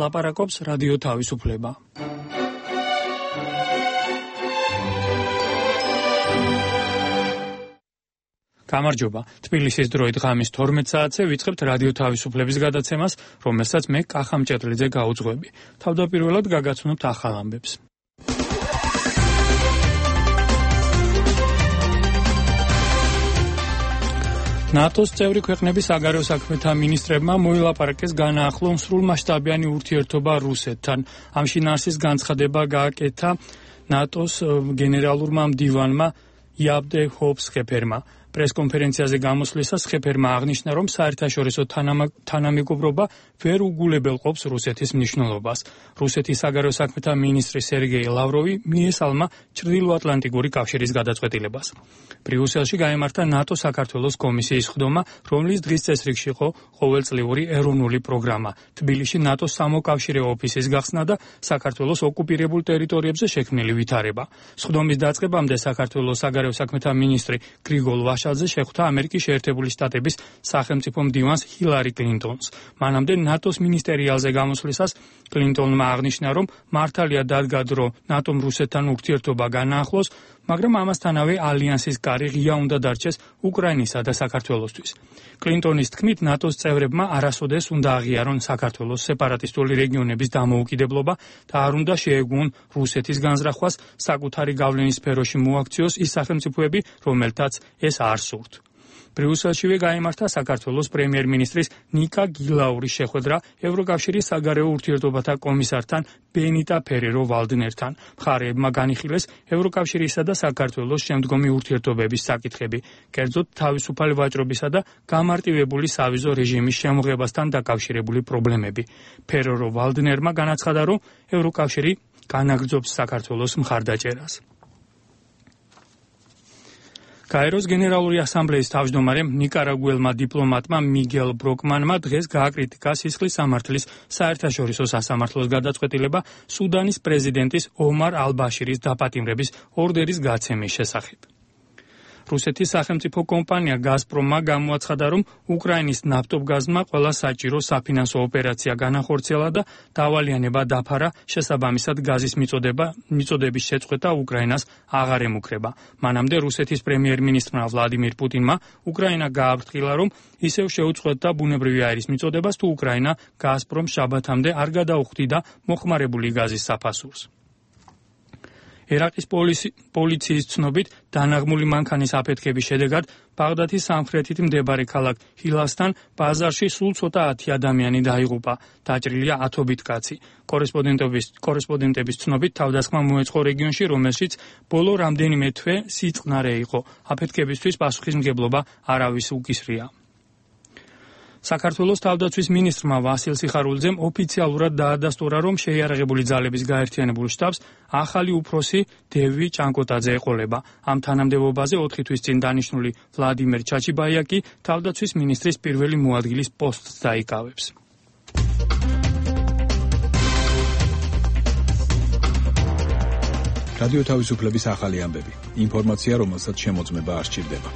ლაპარაკობს რადიო თავისუფლება. გამარჯობა. თბილისის დროით ღამის 12 საათზე ვიწყებთ რადიო თავისუფლების გადაცემას, რომელსაც მე კახა მჭედლიძე გაუძღვები. თავდაპირველად გაგაცნობთ ახალ ამბებს. ნატოს წევრი ქვეყნების საგარეო საქმეთა მინისტრებმა მოილაპარაკეს განაახლონ სრულმასშტაბიანი ურთიერთობა რუსეთთან. ამ შინაარსის განცხადება გააკეთა ნატოს გენერალურმა მდივანმა იაბდე ჰოფსხეფერმა. პრესკონფერენციაზე გამოსვლისას ხეფერმა აღნიშნა, რომ საერთაშორისო თანამეგობრობა ვერ უგულებელყოფს რუსეთის მნიშვნელობას. რუსეთის საგარეო საქმეთა მინისტრი სერგეი ლავროვი მიესალმა ჩრდილოატლანტიკური კავშირის გადაწყვეტილებას. ბრიუსელში გაიმართა ნატო-საქართველოს კომისიის ხდომა, რომლის დღის წესრიგში იყო ყოველწლიური ეროვნული პროგრამა, თბილისში ნატოს სამოკავშირეო ოფისის გახსნა და საქართველოს ოკუპირებულ ტერიტორიებზე შექმნილი ვითარება. სხდომის დაწყებამდე საქართველოს საგარეო საქმეთა მინისტრი გრიგოლ ვაშაძე შეხვდა ამერიკის შეერთებული შტატების სახელმწიფო მდივანს ჰილარი კლინტონს. მანამდე ნატოს მინისტერიალზე გამოსვლისას კლინტონმა აღნიშნა, რომ მართალია დადგა დრო ნატომ რუსეთთან ურთიერთობა განაახლოს, მაგრამ ამასთანავე ალიანსის კარი ღია უნდა დარჩეს უკრაინისა და საქართველოსთვის. კლინტონის თქმით, ნატოს წევრებმა არასოდეს უნდა აღიარონ საქართველოს სეპარატისტული რეგიონების დამოუკიდებლობა და არ უნდა შეეგუონ რუსეთის განზრახვას, საკუთარი გავლენის სფეროში მოაქციოს ის სახელმწიფოები, რომელთაც ეს არ სურთ. ბრიუსელშივე გაიმართა საქართველოს პრემიერ-მინისტრის ნიკა გილაურის შეხვედრა ევროკავშირის საგარეო ურთიერთობათა კომისართან ბენიტა ფერერო ვალდნერთან. მხარეებმა განიხილეს ევროკავშირისა და საქართველოს შემდგომი ურთიერთობების საკითხები, კერძოდ თავისუფალი ვაჭრობისა და გამარტივებული სავიზო რეჟიმის შემოღებასთან დაკავშირებული პრობლემები. ფერერო ვალდნერმა განაცხადა, რომ ევროკავშირი განაგრძობს საქართველოს მხარდაჭერას. კაიროს გენერალური ასამბლეის თავმჯდომარემ ნიკარაგუელმა დიპლომატმა მიგელ ბროკმანმა დღეს გააკრიტიკა სისხლის სამართლის საერთაშორისო სასამართლოს გადაწყვეტილება სუდანის პრეზიდენტის ომარ ალ-ბაშირის დაპატიმრების ორდერის გაცემის შესახებ. რუსეთის სახელმწიფო კომპანია გაზპრომმა გამოაცხადა, რომ უკრაინის ნავტობგაზმა ყველა საჭირო საფინანსო ოპერაცია განახორციელა და დავალიანება დაფარა, შესაბამისად გაზის მიწოდების შეწყვეტა უკრაინას აღარ ემუქრება. მანამდე რუსეთის პრემიერ-მინისტრმა ვლადიმირ პუტინმა უკრაინა გააფრთხილა, რომ ისევ შეუწყვეტდა ბუნებრივი აირის მიწოდებას, თუ უკრაინა გაზპრომს შაბათამდე არ გადაუხდიდა მოხმარებული გაზის საფასურს. ერაყის პოლიციის ცნობით, დანაღმული მანქანის აფეთქების შედეგად ბაღდადის სამხრეთით მდებარე ქალაქ ჰილასთან ბაზარში სულ ცოტა 10 ადამიანი დაიღუპა. დაჭრილია ათობით კაცი. კორესპონდენტების ცნობით, თავდასხმა მოეწყო რეგიონში, რომელშიც ბოლო რამდენიმე თვე სიწყნარე იყო. აფეთქებისთვის პასუხისმგებლობა არავის უკისრია. საქართველოს თავდაცვის მინისტრმა ვასილ სიხარულიძემ ოფიციალურად დაადასტურა, რომ შეიარაღებული ძალების გაერთიანებულ შტაბს ახალი უფროსი დევი ჭანკოტაძე ეყოლება. ამ თანამდებობაზე 4 თვის წინ დანიშნული ვლადიმერ ჩაჩიბაია კი თავდაცვის მინისტრის პირველი მოადგილის პოსტს დაიკავებს. რადიო თავისუფლების ახალი ამბები. ინფორმაცია, რომელსაც შემოწმება არ სჭირდება.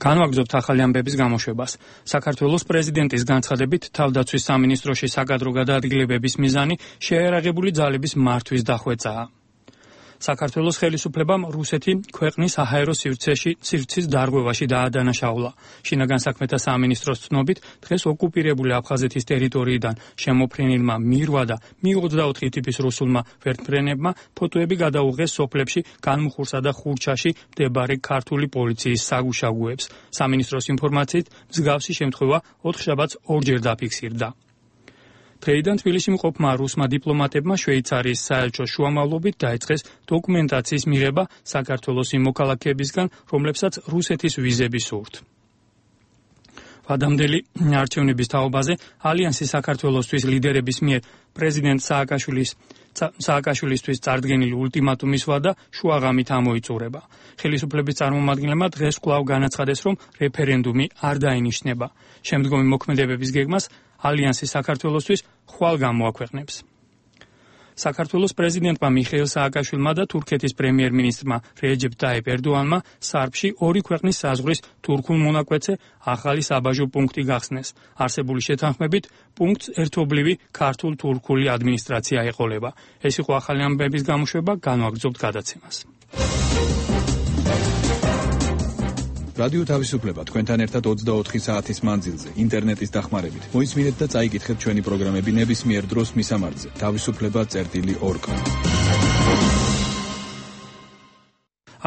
განვაგრძობთ ახალი ამბების გამოშვებას. საქართველოს პრეზიდენტის განცხადებით, თავდაცვის სამინისტროში საკადრო გადაადგილებების მიზანი შეიარაღებული ძალების მართვის დახვეწაა. საქართველოს ხელისუფლებამ რუსეთი ქვეყნის საჰაერო სივრცის დარღვევაში დაადანაშაულა. შინაგან საქმეთა სამინისტროს ცნობით, დღეს ოკუპირებული აფხაზეთის ტერიტორიიდან შემოფრენილმა მირვა და Mi-24 ტიპის რუსულმა ვერტმფრენებმა ფოტოები გადაუღეს სოფლებში განმუხურსა და ხურჩაში მდებარე ქართული პოლიციის საგუშაგოებს. სამინისტროს ინფორმაციით, მსგავსი შემთხვევა 4 შაბათს ორჯერ დაფიქსირდა. დღეიდან თბილისში მყოფმა რუსმა დიპლომატებმა შვეიცარიის საელჩოს შუამავლობით დაიწყეს დოკუმენტაციის მიღება საქართველოს იმ მოქალაქეებისგან, რომლებსაც რუსეთის ვიზები სურთ. ვადამდელი არჩევნების თაობაზე ალიანსის საქართველოსთვის ლიდერების მიერ პრეზიდენტ სააკაშვილისთვის წარდგენილი ულტიმატუმის ვადა შუაღამით ამოიწურება. ხელისუფლების წარმომადგენლებმა დღეს კვლავ განაცხადეს, რომ რეფერენდუმი არ დაინიშნება. შემდგომი მოქმედებების გეგმას ალიანსი საქართველოსთვის ხვალ გამოაქვეყნებს. საქართველოს პრეზიდენტმა მიხეილ სააკაშვილმა და თურქეთის პრემიერ-მინისტრმა რეჯეპ ტაიპ ერდოანმა სარბში ორი ქვეყნის საზღვრის თურქულ მონაკვეთზე ახალი საბაჟო პუნქტი გახსნეს. არსებული შეთანხმებით პუნქტს ერთობლივი ქართულ-თურქული ადმინისტრაცია ეყოლება. ეს იყო ახალი ამბების გამოშვება, განვაგრძობთ გადაცემას. რადიო თავისუფლება თქვენთან ერთად 24 საათის მანძილზე, ინტერნეტის დახმარებით. მოისმინეთ და წაიკითხეთ ჩვენი პროგრამები ნებისმიერ დროს მისამართზე. თავისუფლება.org.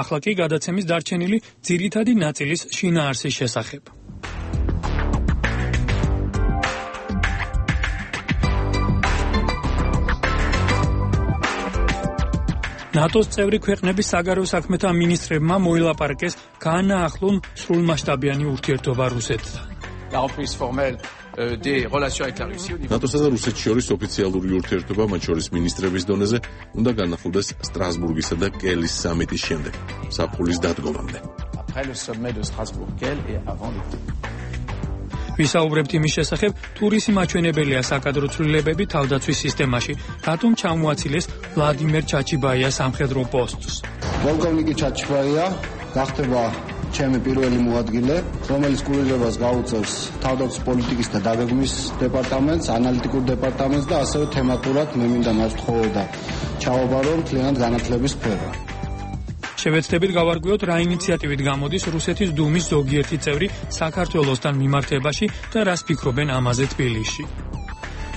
ახლა კი გადაცემის დარჩენილი ძირითადი ნაწილის შინაარსის შესახებ. ნატოს წევრი ქვეყნების საგარეო საქმეთა მინისტრებმა მოილაპარაკეს განაახლონ სრულმასშტაბიანი ურთიერთობა რუსეთთან. ნატოსა და რუსეთს შორის ოფიციალური ურთიერთობა, მათ შორის მინისტრების დონეზე, უნდა განახლდეს სტრასბურგისა და კელის სამიტის შემდეგ, საფულის დადგომამდე. ვისაუბრებთ იმის შესახებ, თუ რისი მაჩვენებელია საკადრო ცვლილებები თავდაცვის სისტემაში, რატომ ჩამოაცილეს ვლადიმერ ჩაჩიბაიას სამხედრო პოსტს. პოლკოვნიკი ჩაჩიბაია გახდება ჩემი პირველი მოადგილე, რომელიც კურირებას გაუწევს თავდაცვის პოლიტიკის და დაგეგმვის დეპარტამენტს, ანალიტიკურ დეპარტამენტს და ასევე თემატურად მე მინდა მასწავლო ჩავაბარო მთლიანად განათლების სფერო. შევეცდებით გავარკვიოთ, რა ინიციატივით გამოდის რუსეთის დუმის ზოგიერთი წევრი საქართველოსთან მიმართებაში და რას ფიქრობენ ამაზე თბილისში.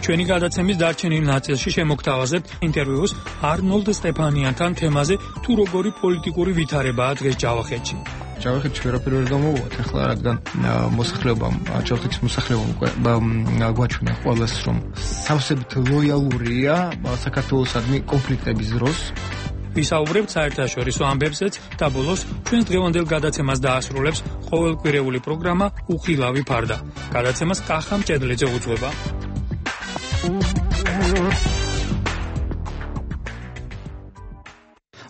ჩვენი გადაცემის დარჩენილ ნაწილში შემოგთავაზებთ ინტერვიუს არნოლდ სტეფანიანთან თემაზე, თუ როგორი პოლიტიკური ვითარებაა დღეს ჯავახეთში. ჯავახეთში ვერაფერი ვერ გამოვუვათ, ახლა რადგან ჯავახეთის მოსახლეობამ გვაჩვენა ყველას, რომ სავსებით ლოიალურია საქართველოსადმი კონფლიქტების დროს. ვისაუბრებთ საერთაშორისო ამბებზეც და ბოლოს ჩვენს დღევანდელ გადაცემას დაასრულებს ყოველკვირეული პროგრამა უხილავი ფარდა. გადაცემას კახა მჭედლიძე უძღვება.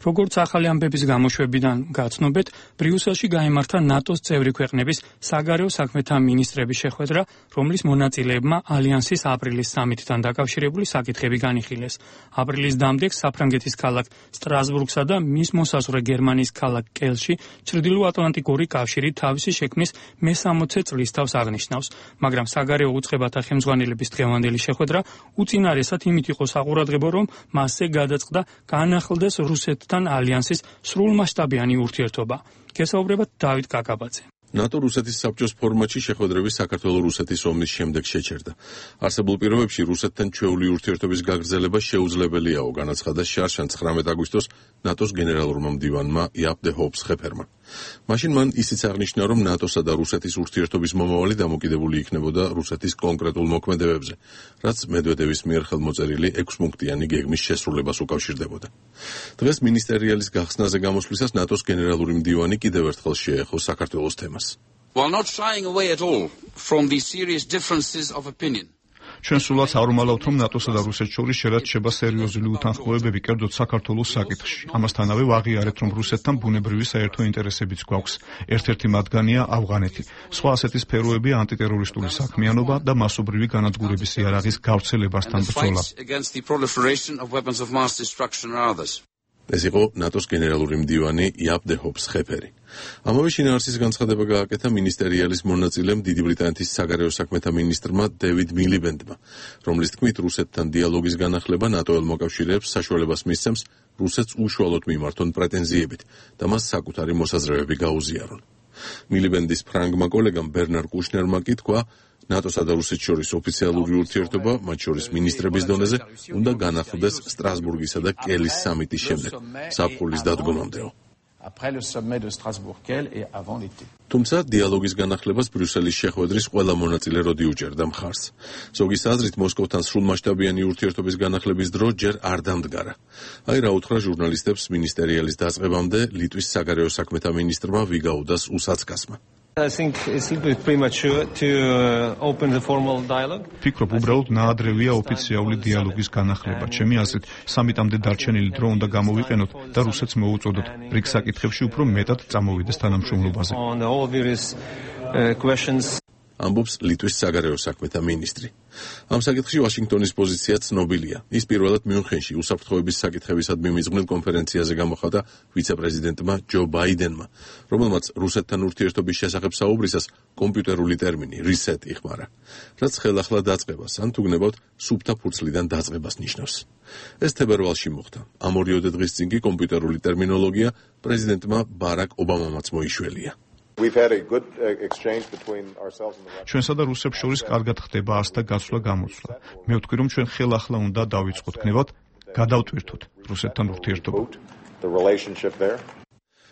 როგორც ახალი ამბების გამოშვებიდან გაცნობეთ, ბრიუსელში გაიმართა ნატოს წევრი ქვეყნების საგარეო საქმეთა მინისტრების შეხვედრა, რომლის მონაწილეებმა ალიანსის აპრილის სამიტთან დაკავშირებული საკითხები განიხილეს. აპრილის დამდეგ საფრანგეთის ქალაქ სტრასბურგსა და მის მოსაზღვრე გერმანიის ქალაქ კელში ჩრდილოატლანტიკური კავშირი თავისი შექმნის მე-60 წლის თავს აღნიშნავს, მაგრამ საგარეო უწყებათა ხელმძღვანელების დღევანდელი შეხვედრა უწინარესად იმით იყო საყურადღებო, რომ მასზე გადაწყდა განახლდეს რუსეთთან ალიანსის სრულმასშტაბიანი ურთიერთობა. გესაუბრებათ დავით კაკაბაძე. ნატო-რუსეთის საბჭოს ფორმატში შეხვედრები საქართველო-რუსეთის ომის შემდეგ შეჩერდა. არსებულ პირობებში რუსეთთან ჩვეული ურთიერთობის გაგრძელება შეუძლებელიაო, განაცხადა შარშან 19 აგვისტოს ნატოს გენერალურმა მდივანმა იაპ დე ჰოპს-ხეფერმა. მაშინ მან ისიც აღნიშნა, რომ ნატოსა და რუსეთის ურთიერთობის მომავალი დამოკიდებული იქნებოდა რუსეთის კონკრეტულ მოქმედებებზე, რაც მედვედევის მიერ ხელმოწერილი 6 პუნქტიანი გეგმის შესრულებას უკავშირდებოდა. დღეს მინისტერიალის გახსნაზე გამოსვლისას ნატოს გენერალური მდივანი კიდევ ერთხელ შეეხო საქართველოს თემას. While not shying away at all from these serious differences of opinion. ჩვენ სულაც არ უმალავთ, რომ ნატოსა და რუსეთს შორის შერაცხება სერიოზული უთანხმოებები, კერძოდ საქართველოს საკითხში. ამასთანავე ვაღიარეთ, რომ რუსეთთან ბუნებრივი საერთო ინტერესებიც გვაქვს. ერთ-ერთი მათგანია ავღანეთი. სხვა ასეთი სფეროები ანტიტერორისტული საქმიანობა და მასობრივი განადგურების იარაღის გავრცელებასთან ბრძოლა. ეს იყო ნატოს გენერალური მდივანი იაპ დე ჰოპს-ხეფერი. ამავე შინაარსის განცხადება გააკეთა მინისტერიალის მონაწილემ დიდი ბრიტანეთის საგარეო საქმეთა მინისტრმა დევიდ მილიბენდმა, რომლის თქმით რუსეთთან დიალოგის განახლება ნატოელ მოკავშირეებს საშუალებას მისცემს რუსეთს უშუალოდ მიმართონ პრეტენზიებით და მას საკუთარი მოსაზრებები გაუზიარონ. მილიბენდის ფრანგმა კოლეგამ ბერნარ კუშნერმა კი თქვა, ნატოსა და რუსეთს შორის ოფიციალური ურთიერთობა, მათ შორის მინისტრების დონეზე, უნდა განახლდეს სტრასბურგისა და კელის სამიტის შემდეგ, საფულის დადგომამდეო. თუმცა დიალოგის განახლებას ბრიუსელის შეხვედრის ყველა მონაწილე როდი უჭერდა მხარს. ზოგის აზრით მოსკოვთან სრულმასშტაბიანი ურთიერთობის განახლების დრო ჯერ არ დამდგარა. აი რა უთხრა ჟურნალისტებს მინისტერიალის დაწყებამდე ლიტვის საგარეო საქმეთა მინისტრმა ვიგაუდას უსაცკასმა. I think it's a little bit premature to open the formal dialogue. ფიქრობ, უბრალოდ ნაადრევია ოფიციალური დიალოგის განახლება. ჩემი აზრით, სამიტამდე დარჩენილი დრო უნდა გამოვიყენოთ და რუსეთს მოუწოდოთ ბრიკს საკითხებში უფრო მეტად წამოვიდეს თანამშრომლობაზე. On all various questions. ამბობს ლიტვის საგარეო საქმეთა მინისტრი. ამ საკითხში ვაშინგტონის პოზიცია ცნობილია. ის პირველად მიუნხენში უსაფრთხოების საკითხებისადმი მიზღვნილ კონფერენციაზე გამოხატა ვიცე-პრეზიდენტმა ჯო ბაიდენმა, რომელმაც რუსეთთან ურთიერთობის შესახებ საუბრისას კომპიუტერული ტერმინი reset იხმარა, რაც ხელახლა დაწყებას ან თუ გნებავთ სუფთა ფურცლიდან დაწყებას ნიშნავს. ეს თებერვალში მოხდა. ამ 2 დღის წინ კი კომპიუტერული ტერმინოლოგია პრეზიდენტმა ბარაკ ობამამაც მოიშველია. ჩვენსა და რუსებს შორის კარგად ხდება ასთა გასვლა-გამოსვლა. მე ვთქვი, რომ ჩვენ ხელახლა უნდა დავიწყოთ გნევად, გადავტვირთოთ რუსეთთან ურთიერთობა.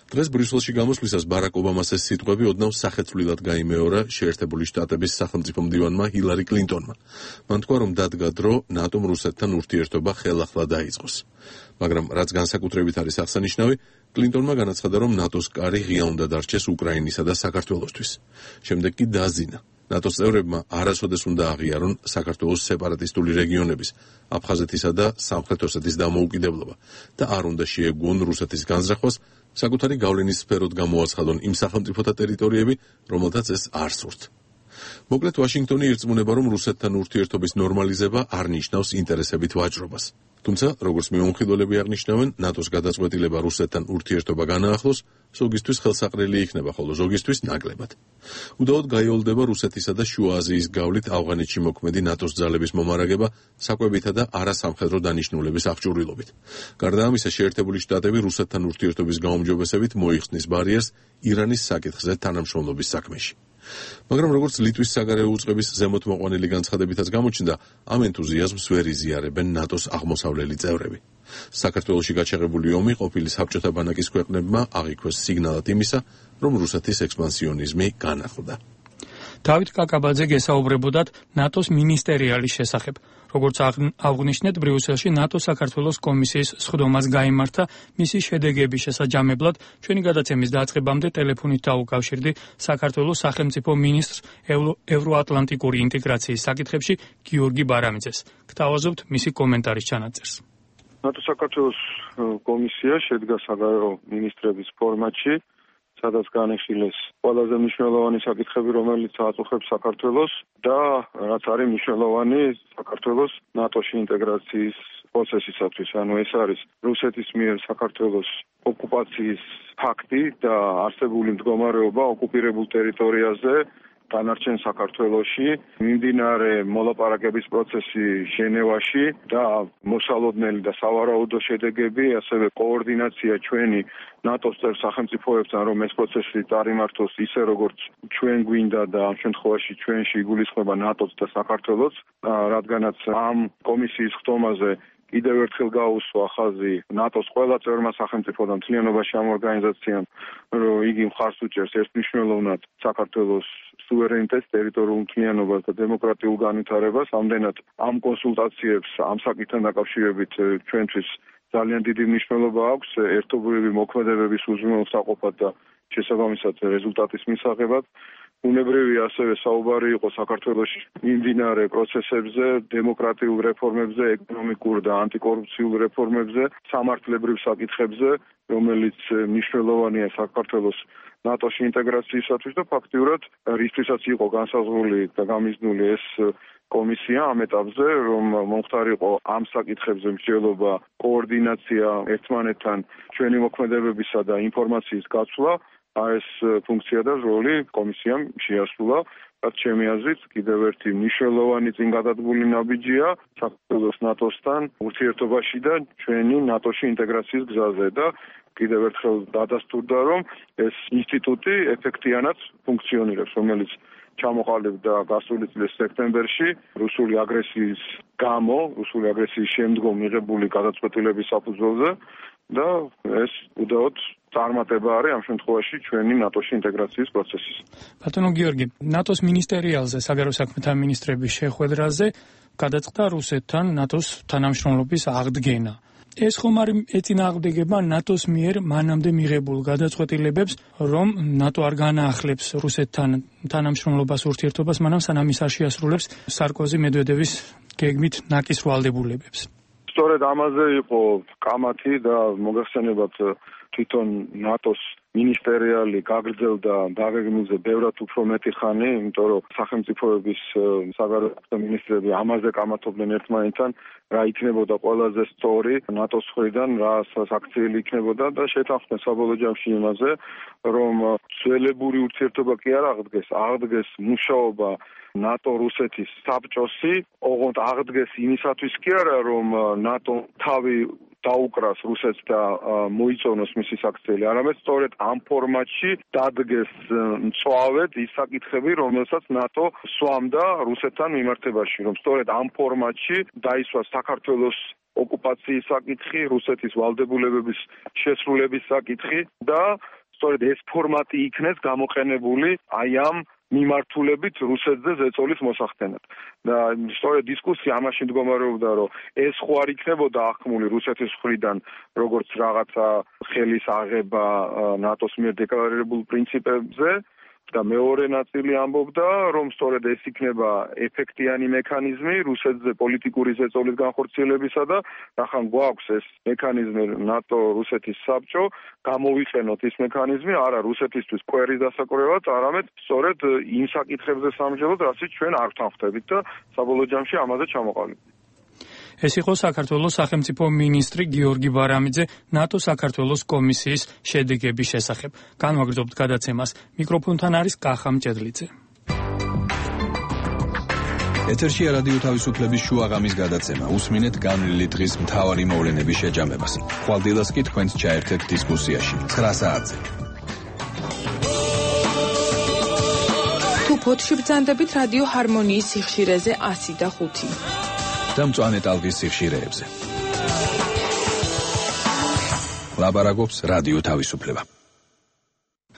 დღეს ბრიუსელში გამოსვლისას ბარაკ ობამას ეს სიტყვები ოდნავ სახეცვლილად გაიმეორა შეერთებული შტატების სახელმწიფო მდივანმა ჰილარი კლინტონმა. მან თქვა, რომ დადგა დრო ნატომ რუსეთთან ურთიერთობა ხელახლა დაიწყოს. მაგრამ რაც განსაკუთრებით არის აღსანიშნავი, კლინტონმა განაცხადა, რომ ნატოს კარი ღია უნდა დარჩეს უკრაინისა და საქართველოსთვის. შემდეგ კი დააზინა. ნატოს წევრებმა არასოდეს უნდა აღიარონ საქართველოს სეპარატისტული რეგიონების, აფხაზეთისა და სამხრეთ ოსეთის დამოუკიდებლობა და არ უნდა შეეგუონ რუსეთის განზრახვას, საკუთარი გავლენის სფეროდ გამოაცხადონ იმ სახელმწიფოთა ტერიტორიები, რომელთაც ეს არ სურთ. მოკლედ, ვაშინგტონი ირწმუნება, რომ რუსეთთან ურთიერთობის ნორმალიზება არ ნიშნავს ინტერესებით ვაჭრობას. თუმცა, როგორც მეუნხილველები აღნიშნავენ, ნატოს გადაწყვეტილება რუსეთთან ურთიერთობა განაახლოს, ზოგისთვის ხელსაყრელი იქნება, ხოლო ზოგისთვის ნაკლებად. უდაოდ გაიოლდება რუსეთისა და შუა აზიის გავლით ავღანეთში მოქმედი ნატოს ძალების მომარაგება საკვებითა და არასამხედრო დანიშნულების აღჭურვილობით. გარდა ამისა, შეერთებული შტატები რუსეთთან ურთიერთობის გაუმჯობესებით მოიხსნის ბარიერს ირანის საკითხზე თანამშრომლობის საქმეში. მაგრამ როგორც ლიტვის საგარეო უწყების ზემოთმოყვანილი განცხადებითაც გამოჩნდა, ამ ენთუზიაზმს ვერ იზიარებენ ნატოს აღმოსავლელი წევრები. საქართველოში გაჩაღებული ომი ყოფილი საბჭოთა ბანაკის ქვეყნებმა აღიქვეს სიგნალად იმისა, რომ რუსეთის ექსპანსიონიზმი განახლდა. დავით კაკაბაძე გესაუბრებოდათ ნატოს მინისტერიალის შესახებ. როგორც აღნიშნეთ, ბრიუსელში ნატო-საქართველოს კომისიის სხდომას გაიმართა მისი შედეგების შესაჯამებლად. ჩვენი გადაცემის დაწყებამდე ტელეფონით დაუკავშირდი საქართველოს სახელმწიფო მინისტრს ევროატლანტიკური ინტეგრაციის საკითხებში გიორგი ბარამიძეს. გთავაზობთ მისი კომენტარის ჩანაწერს. ნატო-საქართველოს კომისია შედგა საგარეო მინისტრების ფორმატში, სადაც განიხილეს ყველაზე მნიშვნელოვანი საკითხები, რომელიც აწუხებს საქართველოს და რაც არის მნიშვნელოვანი საქართველოს ნატოში ინტეგრაციის პროცესისათვის. ანუ ეს არის რუსეთის მიერ საქართველოს ოკუპაციის ფაქტი და არსებული მდგომარეობა ოკუპირებულ ტერიტორიაზე დანარჩენ საქართველოში, მიმდინარე მოლაპარაკების პროცესი ჟენევაში და მოსალოდნელი და სავარაუდო შედეგები, ასევე კოორდინაცია ჩვენი ნატოს წევრ სახელმწიფოებთან, რომ ეს პროცესი წარიმართოს ისე, როგორც ჩვენ გვინდა და ამ შემთხვევაში ჩვენში იგულისხმება ნატოც და საქართველოც, რადგანაც ამ კომისიის ხდომაზე კიდევ ერთხელ გაუსვა ხაზი ნატოს ყველა წევრმა სახელმწიფო და მთლიანობაში ამ ორგანიზაციამ, რომ იგი მხარს უჭერს ერთმნიშვნელოვნად საქართველოს სუვერენიტეტს, ტერიტორიულ მთლიანობას და დემოკრატიულ განვითარებას. ამდენად ამ კონსულტაციებს ამ საკითხთან დაკავშირებით ჩვენთვის ძალიან დიდი მნიშვნელობა აქვს ერთობლივი მოქმედებების უზრუნველსაყოფად და შესაბამისად რეზულტატის მისაღებად. უნებრივია ასევე საუბარი იყო საქართველოში მიმდინარე პროცესებზე, დემოკრატიულ რეფორმებზე, ეკონომიკურ და ანტიკორუფციულ რეფორმებზე, სამართლებრივ საკითხებზე, რომელიც მნიშვნელოვანია საქართველოს ნატოში ინტეგრაციისათვის და ფაქტიურად რისთვისაც იყო განსაზღვრული და გამიზნული ეს კომისია ამ ეტაპზე, რომ მომხდარიყო ამ საკითხებზე მსჯელობა, კოორდინაცია ერთმანეთთან, ჩვენი მოქმედებებისა და ინფორმაციის გაცვლა. ეს ფუნქცია და როლი კომისიამ შეასრულა, რაც ჩემი აზრით კიდევ ერთი მნიშვნელოვანი წინ გადადგმული ნაბიჯია საქართველოს ნატოსთან ურთიერთობაში და ჩვენი ნატოში ინტეგრაციის გზაზე და კიდევ ერთხელ დადასტურდა, რომ ეს ინსტიტუტი ეფექტიანად ფუნქციონირებს, რომელიც ჩამოყალიბდა გასული წლის სექტემბერში რუსული აგრესიის გამო, რუსული აგრესიის შემდგომ მიღებული გადაწყვეტილების საფუძველზე და ეს უდაოდ წარმატება არის ამ შემთხვევაში ჩვენი ნატოში ინტეგრაციის პროცესის. ბატონო გიორგი, ნატოს მინისტერიალზე საგარეო საქმეთა მინისტრების შეხვედრაზე გადაწყდა რუსეთთან ნატოს თანამშრომლობის აღდგენა. ეს ხომ არ ეწინააღმდეგება ნატოს მიერ მანამდე მიღებულ გადაწყვეტილებებს, რომ ნატო არ განაახლებს რუსეთთან თანამშრომლობას ურთიერთობას, მანამ სანამ ის არ შეასრულებს სარკოზი-მედვედევის გეგმით ნაკის ვალდებულებებს. სწორედ ამაზე იყო კამათი და მოგახსენებათ თვითონ ნატოს მინისტერიალი გაგრძელდა დაგეგმილზე ბევრად უფრო მეტი ხანი, იმიტომ რომ სახელმწიფოების საგარეო მინისტრები ამაზე კამათობდნენ ერთმანეთთან, რა იქნებოდა ყველაზე სწორი ნატოს მხრიდან, რა საქციელი იქნებოდა და შეთანხმდნენ საბოლოო ჯამში იმაზე, რომ ძველებური ურთიერთობა კი არ აღდგეს მუშაობა ნატო-რუსეთის საბჭოსი, ოღონდ აღდგეს იმისათვის კი არა, რომ ნატო თავი დაუკრას რუსეთს და მოიწონოს მისი საქციელი, არამედ სწორედ ამ ფორმატში დადგეს მწვავედ ის საკითხები, რომელსაც ნატო სვამდა რუსეთთან მიმართებაში, რომ სწორედ ამ ფორმატში დაისვა საქართველოს ოკუპაციის საკითხი, რუსეთის ვალდებულებების შესრულების საკითხი და სწორედ ეს ფორმატი იქნეს გამოყენებული აი ამ მიმართულებით რუსეთზე ზეწოლის მოსახდენად. და სწორედ დისკუსია ამაში მდგომარეობდა, რომ ეს ხო არ იქნებოდა ახმული რუსეთის მხრიდან, როგორც რაღაცა ხელის აღება ნატოს მიერ დეკლარირებულ პრინციპებზე და მეორე ნაწილი ამბობდა, რომ სწორედ ეს იქნება ეფექტიანი მექანიზმი რუსეთზე პოლიტიკური ზეწოლის განხორციელებისა და ახლა გვაქვს ეს მექანიზმი ნატო-რუსეთის საბჭო, გამოვიყენოთ ეს მექანიზმი არა რუსეთისთვის კვერის დასაკვრევად, არამედ სწორედ იმ საკითხებზე სამჯელოდ, რასაც ჩვენ არ ვთანხმდებით და საბოლოო ჯამში ამაზე ჩამოყალიბდით. ეს იყო საქართველოს სახელმწიფო მინისტრი გიორგი ბარამიძე ნატო-საქართველოს კომისიის შედეგების შესახებ. განვაგრძობთ გადაცემას. მიკროფონთან არის კახა მჭედლიძე. ეთერშია რადიო თავისუფლების შუაღამის გადაცემა. უსმინეთ განვლილი დღის მთავარი მოვლენების შეჯამებას. ხვალდილას კი თქვენს ჩაერთეთ დისკუსიაში 9 საათზე. თუ ფოთში ბრძანდებით რადიო ჰარმონიის სიხშირეზე 105. და მწვანე ტალღის სიხშირეებზე. ლაბარაკობს რადიო თავისუფლება.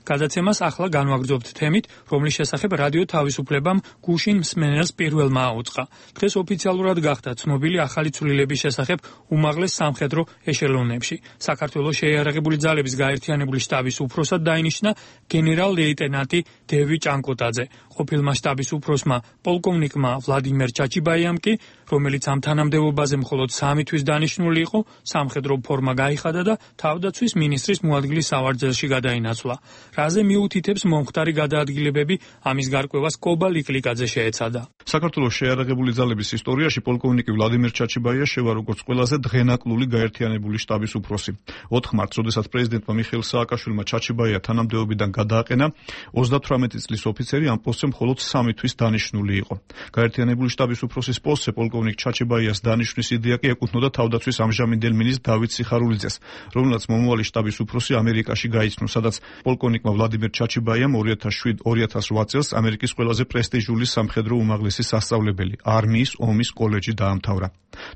გადაცემას ახლა განვაგრძობთ თემით, რომლის შესახებ რადიო თავისუფლებამ გუშინ მსმენელს პირველმა აუწყა. დღეს ოფიციალურად გახდა ცნობილი ახალი ცვლილების შესახებ უმაღლეს სამხედრო ეშელონებში. საქართველოს შეიარაღებული ძალების გაერთიანებული შტაბის უფროსად დაინიშნა გენერალ-ლეიტენანტი დევი ჭანკოტაძე. ყოფილმა შტაბის უფროსმა პოლკოვნიკმა ვლადიმერ ჩაჩიბაიამ კი, რომელიც ამ თანამდებობაზე მხოლოდ 3 თვის დანიშნული იყო, სამხედრო ფორმა გაიხადა და თავდაცვის მინისტრის მოადგილის სავარძელში გადაინაცვლა. რაზე მიუთითებს მომხდარი გადაადგილებები, ამის გარკვევას კობა ლიკლიკაძე შეეცადა. საქართველოს შეიარაღებული ძალების ისტორიაში პოლკოვნიკი ვლადიმერ ჩაჩიბაია შევა როგორც ყველაზე დღენაკლული გაერთიანებული შტაბის უფროსი. 4 მარტს, როდესაც პრეზიდენტმა მიხეილ სააკაშვილმა ჩაჩიბაია თანამდებობიდან გადააყენა, 38 წლის ოფიცერი ამ პოსტზე მხოლოდ 3 თვის დანიშნული იყო. გაერთიანებული შტაბის უფროსის პოსტზე პოლკოვნიკ ჩაჩიბაიას დანიშვნის იდეა კი ეკუთვნოდა თავდაცვის ამჟამინდელ მინისტრ დავით სიხარულიძეს, რომელსაც მომავალი შტაბის უფროსი ამერიკაში გაიცნო, სადაც პოლკოვნიკმა ვლადიმერ ჩაჩიბაიამ 2007-2008 წელს ამერიკის ყველაზე პრესტიჟული სამხედრო უმაღლესი სასწავლებელი არმიის ომის კოლეჯი დაამთავრა.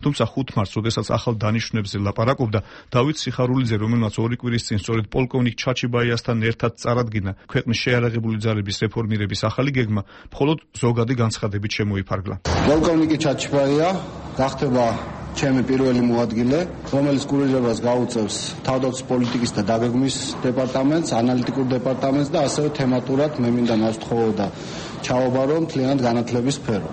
თუმცა 5 მარტს, როდესაც ახალ დანიშნულებზე ლაპარაკობდა, დავით სიხარულიძე, რომელმაც 2 კვირის წინ სწორედ პოლკოვნიკ ჩაჩიბაიასთან ერთად წარადგინა ქვეყნის შეიარაღებული ძალების რეფორმირების ახალი გეგმა, მხოლოდ ზოგადი განცხადებით შემოიფარგლა. პოლკოვნიკი ჩაჩიბაია გახდება ჩემი პირველი მოადგილე, რომელიც კურირებას გაუწევს თავდაცვის პოლიტიკის და დაგეგმვის დეპარტამენტს, ანალიტიკურ დეპარტამენტს და ასევე თემატურად მე მინდა ნავსთხოვოდა ჩავაბარო მთლიანად განათლების სფერო.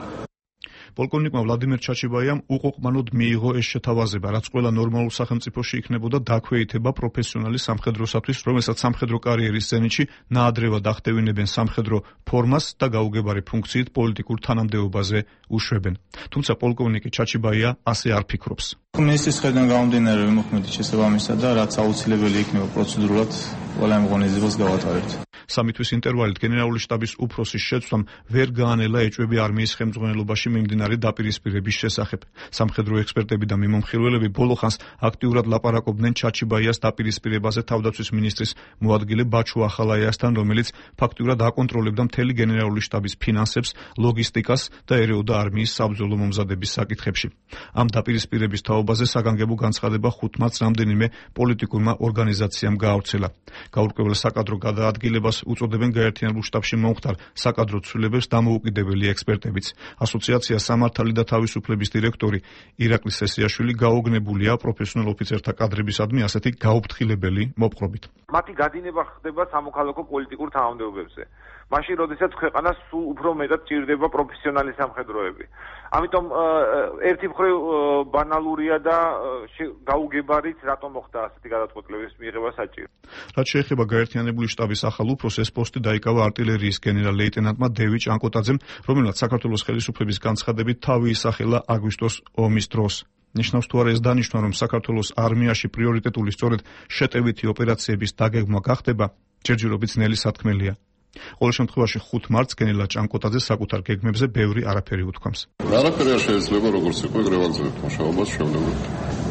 პოლკოვნიკმა ვლადიმერ ჩაჩიბაიამ უყოყმანოდ მიიღო ეს შეთავაზება, რაც ყველა ნორმალურ სახელმწიფოში იქნებოდა დაქვეითება პროფესიონალი სამხედროსათვის, რომელსაც სამხედრო კარიერის ზენიტში ნაადრევად ახდევინებენ სამხედრო ფორმას და გაუგებარი ფუნქციით პოლიტიკურ თანამდებობაზე უშვებენ. თუმცა პოლკოვნიკი ჩაჩიბაია ასე არ ფიქრობს. მინისტრის ხედვიდან გამომდინარე ვიმოქმედით შესაბამისა და რაც აუცილებელი იქნება პროცედურულად ყველა იმ ღონისძიებას გავატარებთ. 3 თვის ინტერვალით გენერალური შტაბის უფროსის შეცვლამ ვერ გაანელა ეჭვები არმიის ხელმძღვანელობაში მიმდინარე დაპირისპირების შესახებ. სამხედრო ექსპერტები და მიმომხილველები ბოლო ხანს აქტიურად ლაპარაკობდნენ ჩაჩიბაიას დაპირისპირებაზე თავდაცვის მინისტრის მოადგილე ბაჩუ ახალაიასთან, რომელიც ფაქტურად აკონტროლებდა მთელი გენერალური შტაბის ფინანსებს, ლოგისტიკას და ერეოდა არმიის საბრძოლო მომზადების საკითხებში. ამ დაპირისპირების თაობაზე საგანგებო განცხადება 5 მარტს რამდენიმე პოლიტიკურმა ორგანიზაციამ გაავრცელა. გაურკვეველ საკადრო გადაადგილებას ამას უწოდებენ გაერთიანებულ შტაბში მომხდარ საკადრო ცვლილებებს დამოუკიდებელი ექსპერტებიც. ასოციაცია სამართალი და თავისუფლების დირექტორი ირაკლი სესიაშვილი გაოგნებულია პროფესიონალ ოფიცერთა კადრებისადმი ასეთი გაუფრთხილებელი მოპყრობით. მათი გადინება ხდება სამოქალაქო პოლიტიკურ თანამდებობებზე. მაშინ, როდესაც ქვეყანას სულ უფრო მეტად ჭირდება პროფესიონალი სამხედროები. ამიტომ ერთი მხრივ ბანალურია და გაუგებარიც, რატომ მოხდა ასეთი გადაწყვეტილების მიღება საჭირო. რაც შეეხება გაერთიანებული შტაბის ახალ უფროსს, ეს პოსტი დაიკავა артиллерიის გენერალ-ლეიტენანტმა დევიდ ჭანკოტაძემ, რომელსაც საქართველოს ხელისუფლების განცხადებით თავი ისახელა აგვისტოს ომის დროს. ნიშნავს თუ არა ეს დანიშნვა, რომ საქართველოს არმიაში პრიორიტეტული სწორედ შეტევითი ოპერაციების დაგეგმვა გახდება, ჯერჯერობით ძნელი სათქმელია. ყოველ შემთხვევაში 5 მარტს გენერალ ჭანკოტაძე საკუთარ გეგმებზე ბევრი არაფერი უთქვამს. არაფერი არ შეიძლება როგორც იყო გრევაგზავით მუშაობას შევლებული.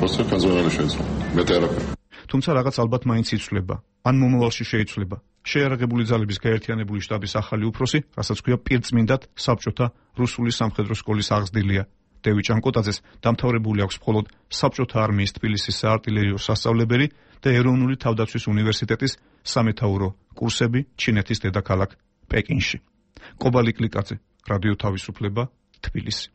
просто კაზონალი შეიძლება. მეტი არაფერი. თუმცა რაღაც ალბათ მაინც იცვლება, ან მომავალში შეიცვლება. შეიარაღებული ძალების გაერთიანებული შტაბის ახალი უფროსი, რასაც ქვია პირწმინდად საბჭოთა რუსული სამხედრო სკოლის აღზრდილია. დევიდ ჭანკოტაძეს დამთავრებული აქვს მხოლოდ საბჭოთა არმიის თბილისის საარტილერიო სასწავლებელი და ეროვნული თავდაცვის უნივერსიტეტის სამეთაურო კურსები ჩინეთის დედაქალაქ პეკინში. კობალი კლიკაძე, რადიო თავისუფლება, თბილისი.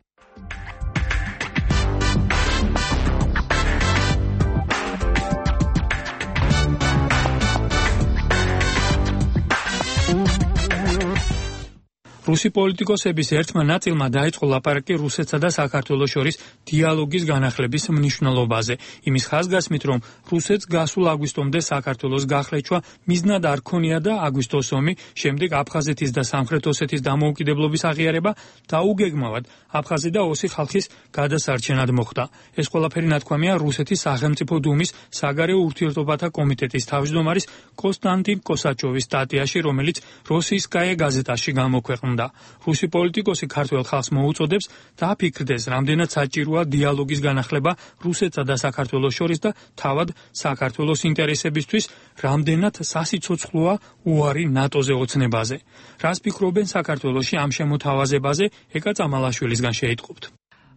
რუსი პოლიტიკოსების ერთმა ნაწილმა დაიწყო ლაპარაკი რუსეთსა და საქართველოს შორის დიალოგის განახლების მნიშვნელობაზე. იმის ხაზგასმით, რომ რუსეთს გასულ აგვისტომდე საქართველოს გახლეჩვა მიზნად არ ქონია და აგვისტოს ომი, შემდეგ აფხაზეთის და სამხრეთ ოსეთის დამოუკიდებლობის აღიარება და უგეგმავად აფხაზი და ოსი ხალხის გადასარჩენად მოხდა. ეს ყველაფერი ნათქვამია რუსეთის სახელმწიფო დუმის საგარეო ურთიერთობათა კომიტეტის თავმჯდომარის კონსტანტინ კოსაჩოვის სტატიაში, რომელიც როსიისკაია გაზეტაში გამოქვეყნდა. რუსი პოლიტიკოსი ქართველ ხალხს მოუწოდებს დააფიქრდეს, რამდენად საჭიროა დიალოგის განახლება რუსეთსა და საქართველოს შორის და თავად საქართველოს ინტერესებისთვის რამდენად სასიცოცხლოა უარი ნატოზე ოცნებაზე. რას ფიქრობენ საქართველოში ამ შემოთავაზებაზე, ეკა წამალაშვილისგან შეიტყობთ.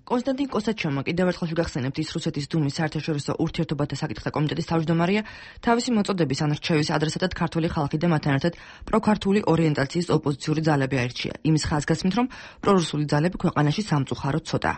კონსტანტინ კოსაჩოვმა კიდევ ერთხელ შეგახსენებთ ის რუსეთის დუმის საერთაშორისო ურთიერთობათა საკითხთა კომიტეტის თავმჯდომარეა, თავისი მოწოდების ან რჩევის ადრესატად ქართული ხალხი და მათთან ერთად პროქართული ორიენტაციის ოპოზიციური ძალები აირჩია. იმის ხაზგასმით, რომ პრორუსული ძალები ქვეყანაში სამწუხაროდ ცოტაა.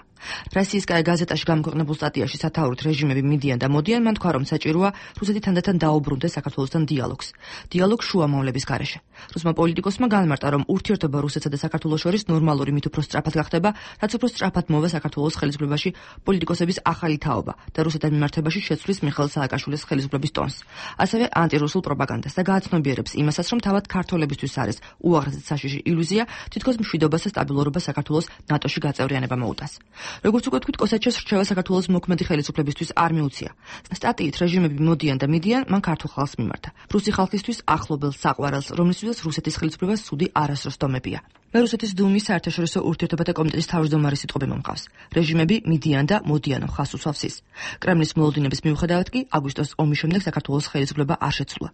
როსიისკაია გაზეტაში გამოქვეყნებულ სტატიაში სათაურით რეჟიმები მიდიან და მოდიან, მან თქვა, რომ საჭიროა რუსეთი თანდათან დაუბრუნდეს საქართველოსთან დიალოგს. დიალოგ შუამავლების გარეშე. რუსმა პოლიტიკოსმა განმარტა, რომ ურთიერთობა რუსეთსა და საქართველოს შორის ნორმალური მით უფრო სწრაფად გახდება, რაც უფრო სწრაფად მოვა საქართველოს ხელისუფლებაში პოლიტიკოსების ახალი თაობა და რუსეთთან მიმართებაში შეცვლის მიხეილ სააკაშვილის ხელისუფლების ტონს. ასევე ანტირუსულ პროპაგანდას და გააცნობიერებს იმასაც, რომ თავად ქართველებისთვის არის უაღრესად საშიში ილუზია, თითქოს მშვიდობას და სტაბილურობას საქართველოს ნატოში გაწევრიანება მოუტანს. როგორც უკვე თქვით, კოსაჩევს რჩევა საქართველოს მოქმედი ხელისუფლებისთვის არ მიუცია. სტატიით რეჟიმები მოდიან და მიდიან, მან ქართულ ხალხს მიმართა. რუსი ხალხისთვის ახლობელს საყვარელს, რომლისთვისაც რუსეთის ხელისუფლებას სუდი არასდროს დომებია. მე რუსეთის დუმის საერთაშორისო ურთიერთობათა კომიტეტის თავმჯდომარის სიტყვები მომყავს. რეჟიმები მიდიან და მოდიან ხას უსვავს ის. კრემლის მოლოდინების მიუხედავად კი აგვისტოს ომის შემდეგ საქართველოს ხელისუფლება არ შეცვლა.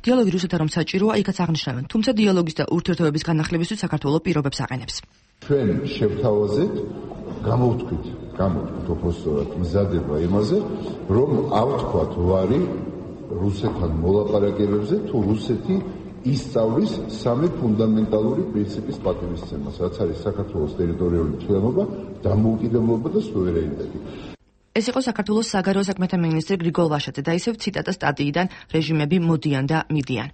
დიალოგი რუსეთთან რომ საჭიროა, იქაც აღნიშნავენ, თუმცა დიალოგის და ურთიერთობების განახლებისთვის საქართველოს პირობებს აყენებს. ჩვენ შევთავაზეთ, გამოვთქვით უბრალოდ მზადება იმაზე, რომ ავთქვათ ვარი რუსეთთან მოლაპარაკებებზე, თუ რუსეთი ისწავლის სამი ფუნდამენტალური პრინციპის პატივისცემას, რაც არის საქართველოს ტერიტორიული მთლიანობა, დამოუკიდებლობა და სუვერენიტეტი. ეს იყო საქართველოს საგარეო საქმეთა მინისტრი გრიგოლ ვაშაძე და ისევ ციტატა სტატიიდან რეჟიმები მოდიან და მიდიან.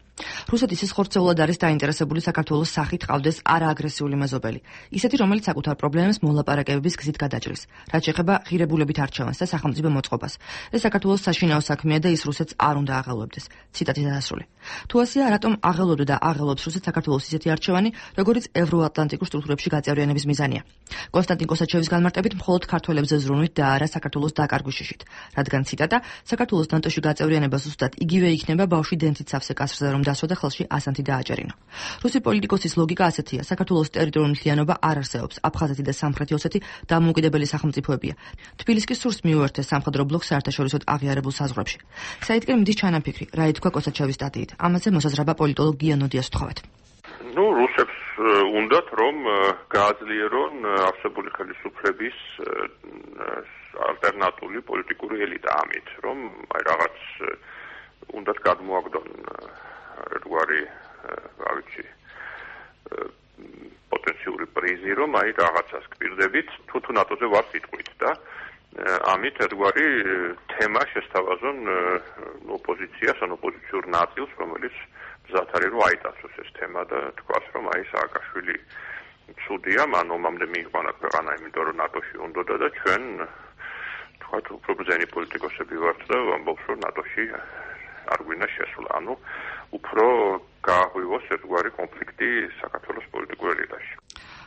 რუსეთის ის ხორცეულად არის დაინტერესებული საქართველოს სახით ყავდეს არააგრესიული მეზობელი, ისეთი რომელიც საკუთარ პრობლემებს მოლაპარაკებების გზით გადაჭრის, რაც შეეხება ღირებულებით არჩევანს და სახელმწიფო მოწყობას. ეს საქართველოს საშინაო საქმეა და ის რუსეთს არ უნდა აღელვებდეს. ციტატი დასასრული. თუ ასეა, რატომ აღელვებდა და აღელვებს რუსეთს საქართველოს ისეთი არჩევანი, როგორიც ევროატლანტიკურ სტრუქტურებში გაწევრიანების მიზანია. კონსტანტინ კოსაჩევის განმარტებით, მხოლოდ ქართველებზე ზრუნვით და არა საქართველოს დაკარგვის შიშით, რადგან ციტატა საქართველოს ნატოში გაწევრიანება ზუსტად იგივე იქნება ბავშვი დენთით სავსე კასრზე რომ დასვა და ხელში ასანთი დააჭერინო. რუსი პოლიტიკოსის ლოგიკა ასეთია: საქართველოს ტერიტორიული მთლიანობა არ არსებობს, აფხაზეთი და სამხრეთი ოსეთი დამოუკიდებელი სახელმწიფოებია. თბილისი კი სურს მიუერთდეს სამხედრო ბლოკს საერთაშორისოდ აღიარებულ საზღვრებში. საიდკენ მიდის ჩანაფიქრი, რა ითქვა კოსაჩევის სტატიით. ამაზე მოსაზრება პოლიტოლოგ გია ნოდიას ვთხოვეთ. რუსებს უნდათ რომ გააძლიერონ არსებული ხელისუფლების ალტერნატიული პოლიტიკური ელიტა ამით, რომ რაღაც უნდათ გადმოაგდონ ერთგვარი რა ვიცი პოტენციური პრიზი, რომ აი რაღაცას გპირდებით, თუ ნატოზე ვარ სიტყვით და ამით ერთგვარი თემა შესთავაზონ ოპოზიციას, ან ოპოზიციურ ნაწილს, რომელიც მზად არის რომ აიტაცოს ეს თემა და თქვას რომ აი სააკაშვილი ცუდია, მან ომამდე მიიყვანა ქვეყანა, იმიტომ რომ ნატოში უნდოდა და ჩვენ თქვათ უფრო ბრძენი პოლიტიკოსები ვართ და ვამბობთ რომ ნატოში არ გვინდა შესვლა, ანუ უფრო გააღვივოს ერთგვარი კონფლიქტი საქართველოს პოლიტიკურ ელიტაში.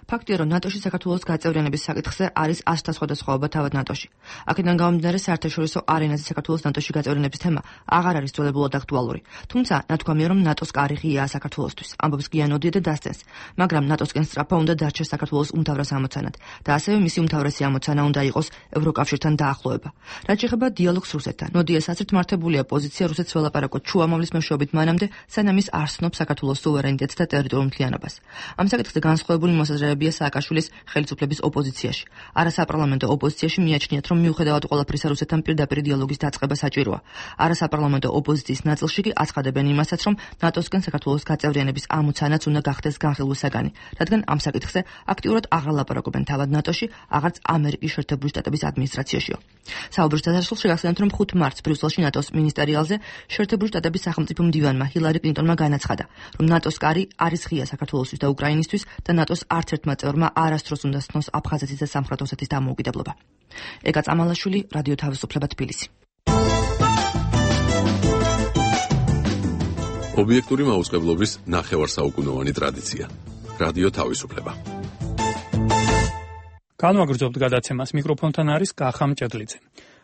ფაქტია, რომ ნატოში საქართველოს გაწევრიანების საკითხზე არის ასთა სხვადასხვაობა თავად ნატოში. აქედან გამომდინარე, საერთაშორისო არენაზე საქართველოს ნატოში გაწევრიანების თემა აღარ არის ძველებურად აქტუალური. თუმცა, ნათქვამია, რომ ნატოს კარი ღიაა საქართველოსთვის. ამბობს გიანოდია და დასცენს, მაგრამ ნატოსკენ სწრაფა უნდა დარჩეს საქართველოს უმთავრეს ამოცანად და ასევე მისი უმთავრესი ამოცანა უნდა იყოს ევროკავშირთან დაახლოება. რაც შეეხება დიალოგს რუსეთთან, ნოდიას აზრით მართებულია პოზიცია რუსეთს ველაპარაკოთ შუამავლის მეშვეობით მანამდე, სანამ ის არ სცნობს საქართველოს სუვერენიტეტს და ტერიტორიულ მთლიანობას. ამ საკითხზე განსხვავებული მოსაზრებებია სააკაშვილის ხელისუფლების ოპოზიციაში. არასაპარლამენტო ოპოზიციაში მიაჩნიათ, რომ მიუხედავად ყველაფრისა რუსეთთან პირდაპირ დიალოგის დაწყება საჭიროა. არასაპარლამენტო ოპოზიციის ნაწილში კი აცხადებენ იმასაც, რომ ნატოსკენ საქართველოს გაწევრიანების ამოცანაც უნდა გახდეს განხილვის საგანი, რადგან ამ საკითხზე აქტიურად აღარ ლაპარაკობენ თავად ნატოში, აღარც ამერიკის შეერთებული შტატების ადმინისტრაციაშიო. საუბრის დასასრულს შეგახსენებთ, რომ 5 მარტს ბრიუსელში ნატოს მინისტერიალზე შეერთებული შტატების სახელმწიფო მდივანმა ჰილარი კლინტონმა განაცხადა, რომ ნატოს კარი არის ღია საქართველოსთვის და უკრაინისთვის და ნატოს არც ერთმა წევრმა არასდროს უნდა სცნოს აფხაზეთის და სამხრეთ ოსეთის დამოუკიდებლობა. ეკა წამალაშვილი, რადიო თავისუფლება, თბილისი. ობიექტური მაუწყებლობის ნახევარსაუკუნოვანი ტრადიცია. რადიო თავისუფლება. განვაგრძობთ გადაცემას, მიკროფონთან არის კახა მჭედლიძე.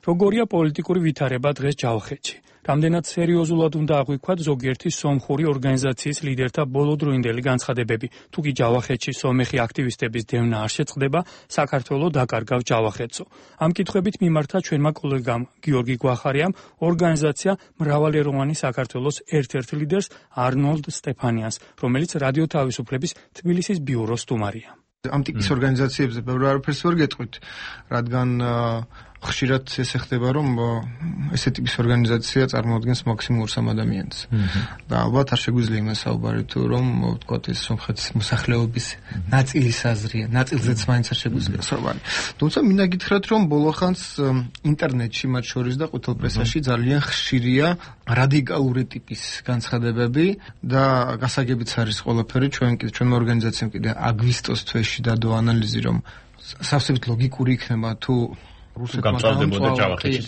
როგორია პოლიტიკური ვითარება დღეს ჯავახეთში? რამდენად სერიოზულად უნდა აღვიქვათ ზოგიერთი სომხური ორგანიზაციის ლიდერთა ბოლოდროინდელი განცხადებები? თუ კი ჯავახეთში სომეხი აქტივისტების დევნა არ შეწყდება, საქართველო დაკარგავს ჯავახეთსო. ამ კითხვებით მიმართა ჩვენმა კოლეგამ გიორგი გვახარიამ ორგანიზაცია მრავალეროვანი საქართველოს ერთ-ერთ ლიდერს არნოლდ სტეფანიანს, რომელიც რადიო თავისუფლების თბილისის ბიუროს სტუმარია. ამ ტიპის ორგანიზაციებზე ბევრი არაფერს ვერ გეტყვით, რადგან ხშირად ესე ხდება, რომ ესე ტიპის ორგანიზაცია წარმოადგენს მაქსიმუმ 2 ადამიანს. და ალბათ არ შეგვიძლია იმას საუბარი თუ რომ ვთქვათ ეს სომხეთის მოსახლეობის ნაწილის აზრია, ნაწილზეც მაინც არ შეგვიძლია საუბარი. თუმცა მინდა გითხრათ, რომ ბოლოხანს ინტერნეტში, მათ შორის და ყვითელ პრესაში ძალიან ხშირია რადიკალური ტიპის განცხადებები და გასაგებიც არის ყველაფერი. ჩვენმა ორგანიზაციამ კიდე აგვისტოს თვეში დადო ანალიზი, რომ სავსებით ლოგიკური იქნება თუ რუსეთმა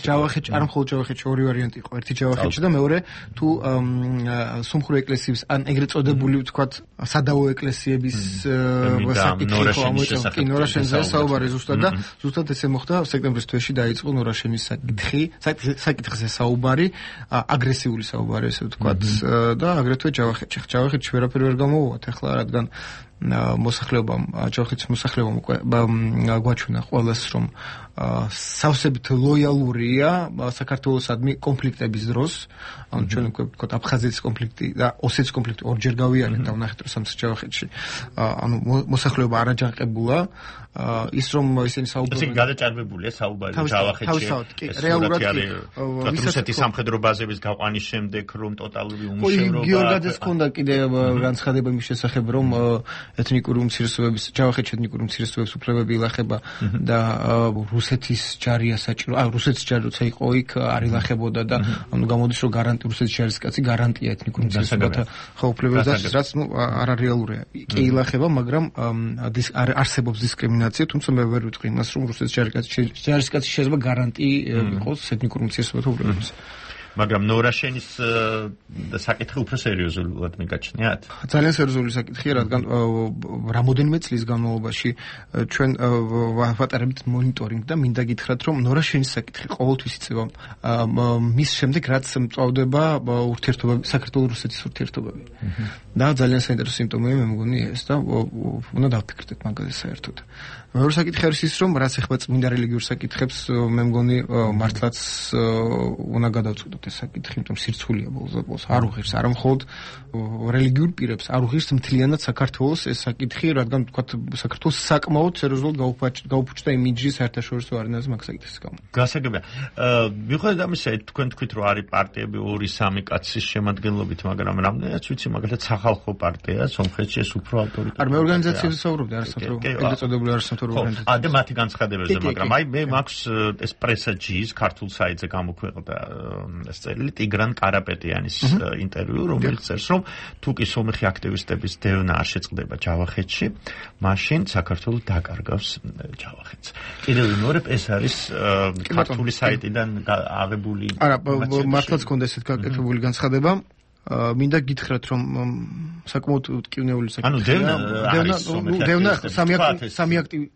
ჯავახეთში, არ მხოლოდ ჯავახეთში, ორი ვარიანტი იყო, ერთი ჯავახეთში და მეორე თუ სომხური ეკლესიის ან ეგრეთ წოდებული ვთქვათ სადავო ეკლესიების საკითხი ხო ამოიწევს ნორაშენზე საუბარი ზუსტად და ზუსტად ესე მოხდა სექტემბრის თვეში დაიწყო ნორაშენის საკითხზე საუბარი, აგრესიული საუბარი ესე ვთქვათ და აგრეთვე ჯავახეთში ვერაფერი ვერ გამოვუვათ ახლა, რადგან მოსახლეობამ, ჯავახეთის მოსახლეობამ გვაჩვენა ყველას, რომ სავსებით ლოიალურია საქართველოსადმი კონფლიქტების დროს, ანუ ჩვენ ვთქვათ აფხაზეთის კონფლიქტი და ოსეთის კონფლიქტი ორჯერ გავიარეთ და ვნახეთ რომ ჯავახეთში, ანუ მოსახლეობა არაჯანყებულა, ის რომ ისინი საუბრობენ. ისინი გადაჭარბებულია საუბარი ჯავახეთში. რეალურად რუსეთის სამხედრო ბაზების გაყვანის შემდეგ რომ ტოტალური უმუშევრობა. გიორგაძეს ჰქონდა კიდე განცხადება იმის შესახებ, რომ ეთნიკური უმცირესობების ჯავახეთში ეთნიკური უმცირესობების უფლებები ილახება და რუსეთის ჯარია საჭირო. რუსეთის ჯარი როცა იყო იქ არ ილახებოდა და ანუ გამოდის რომ რუსეთის ჯარის კაცი გარანტია ეთნიკურ უმცირესობათა უფლებებს, რაც არ რეალურია. კი ილახება, მაგრამ არსებობს დისკრიმინაცია, თუმცა მე ვერ ვიტყვი იმას, რომ რუსეთის ჯარის კაცი შეიძლება გარანტი იყოს ეთნიკურ უმცირესობათა უფლებებს. მაგრამ ნორაშენის საკითხი უფრო სერიოზულად მიგაჩნიათ? ძალიან სერიოზული საკითხია, რადგან რამოდენიმე წლის განმავლობაში ჩვენ ვატარებთ მონიტორინგ და მინდა გითხრათ, რომ ნორაშენის საკითხი ყოველთვის იწება მის შემდეგ, რაც მწვავდება ურთიერთობა საქართველოს-რუსეთის ურთიერთობები. და ძალიან საინტერესო სიმპტომია მე მგონი ეს და უნდა დავფიქრდეთ მაგაზე საერთოდ. მეორე საკითხი არის ის, რომ რაც ეხება წმინდა რელიგიურ საკითხებს, მე მგონი მართლაც უნდა გადავწყვიტოთ ეს საკითხი, იმიტომ სირცხვილია ბოლოს არ უღირს არა მხოლოდ რელიგიურ პირებს, არ უღირს მთლიანად საქართველოს ეს საკითხი, რადგან ვთქვათ, საქართველოს საკმაოდ სერიოზულად გაუფუჭდა იმიჯი საერთაშორისო არენაზე მაგ საკითხის გამო. გასაგებია. მიუხედავად ამისა, თქვენ თქვით, რომ არის პარტიები 2-3 კაცის შემადგენლობით, მაგრამ რამდენიც ვიცი, მაგალითად სახალხო პარტია სომხეთში ეს უფრო ავტორიტეტი. არ მე ორგანიზაციებზე საუბრობდი, არასამთავრობო ორგანიზაციებზე. და მათი განცხადებებზე, მაგრამ აი მე მაქვს ეს პრესაჯის ქართულ საიტზე გამოქვეყნდა ეს წერილი ტიგრან კარაპეტიანის ინტერვიუ, რომელიც წერს, რომ თუ კი სომეხი აქტივისტების დევნა არ შეწყდება ჯავახეთში, მაშინ საქართველოს დაკარგავს ჯავახეთს. კიდევ ვიმეორებ, ეს არის ქართული საიტიდან აღებული. არა, მართლაც ქონდა ესეთ გაკეთებული განცხადება. მინდა გითხრათ, რომ საკმაოდ მტკივნეული საკითხია. დევნა სამი აქტივი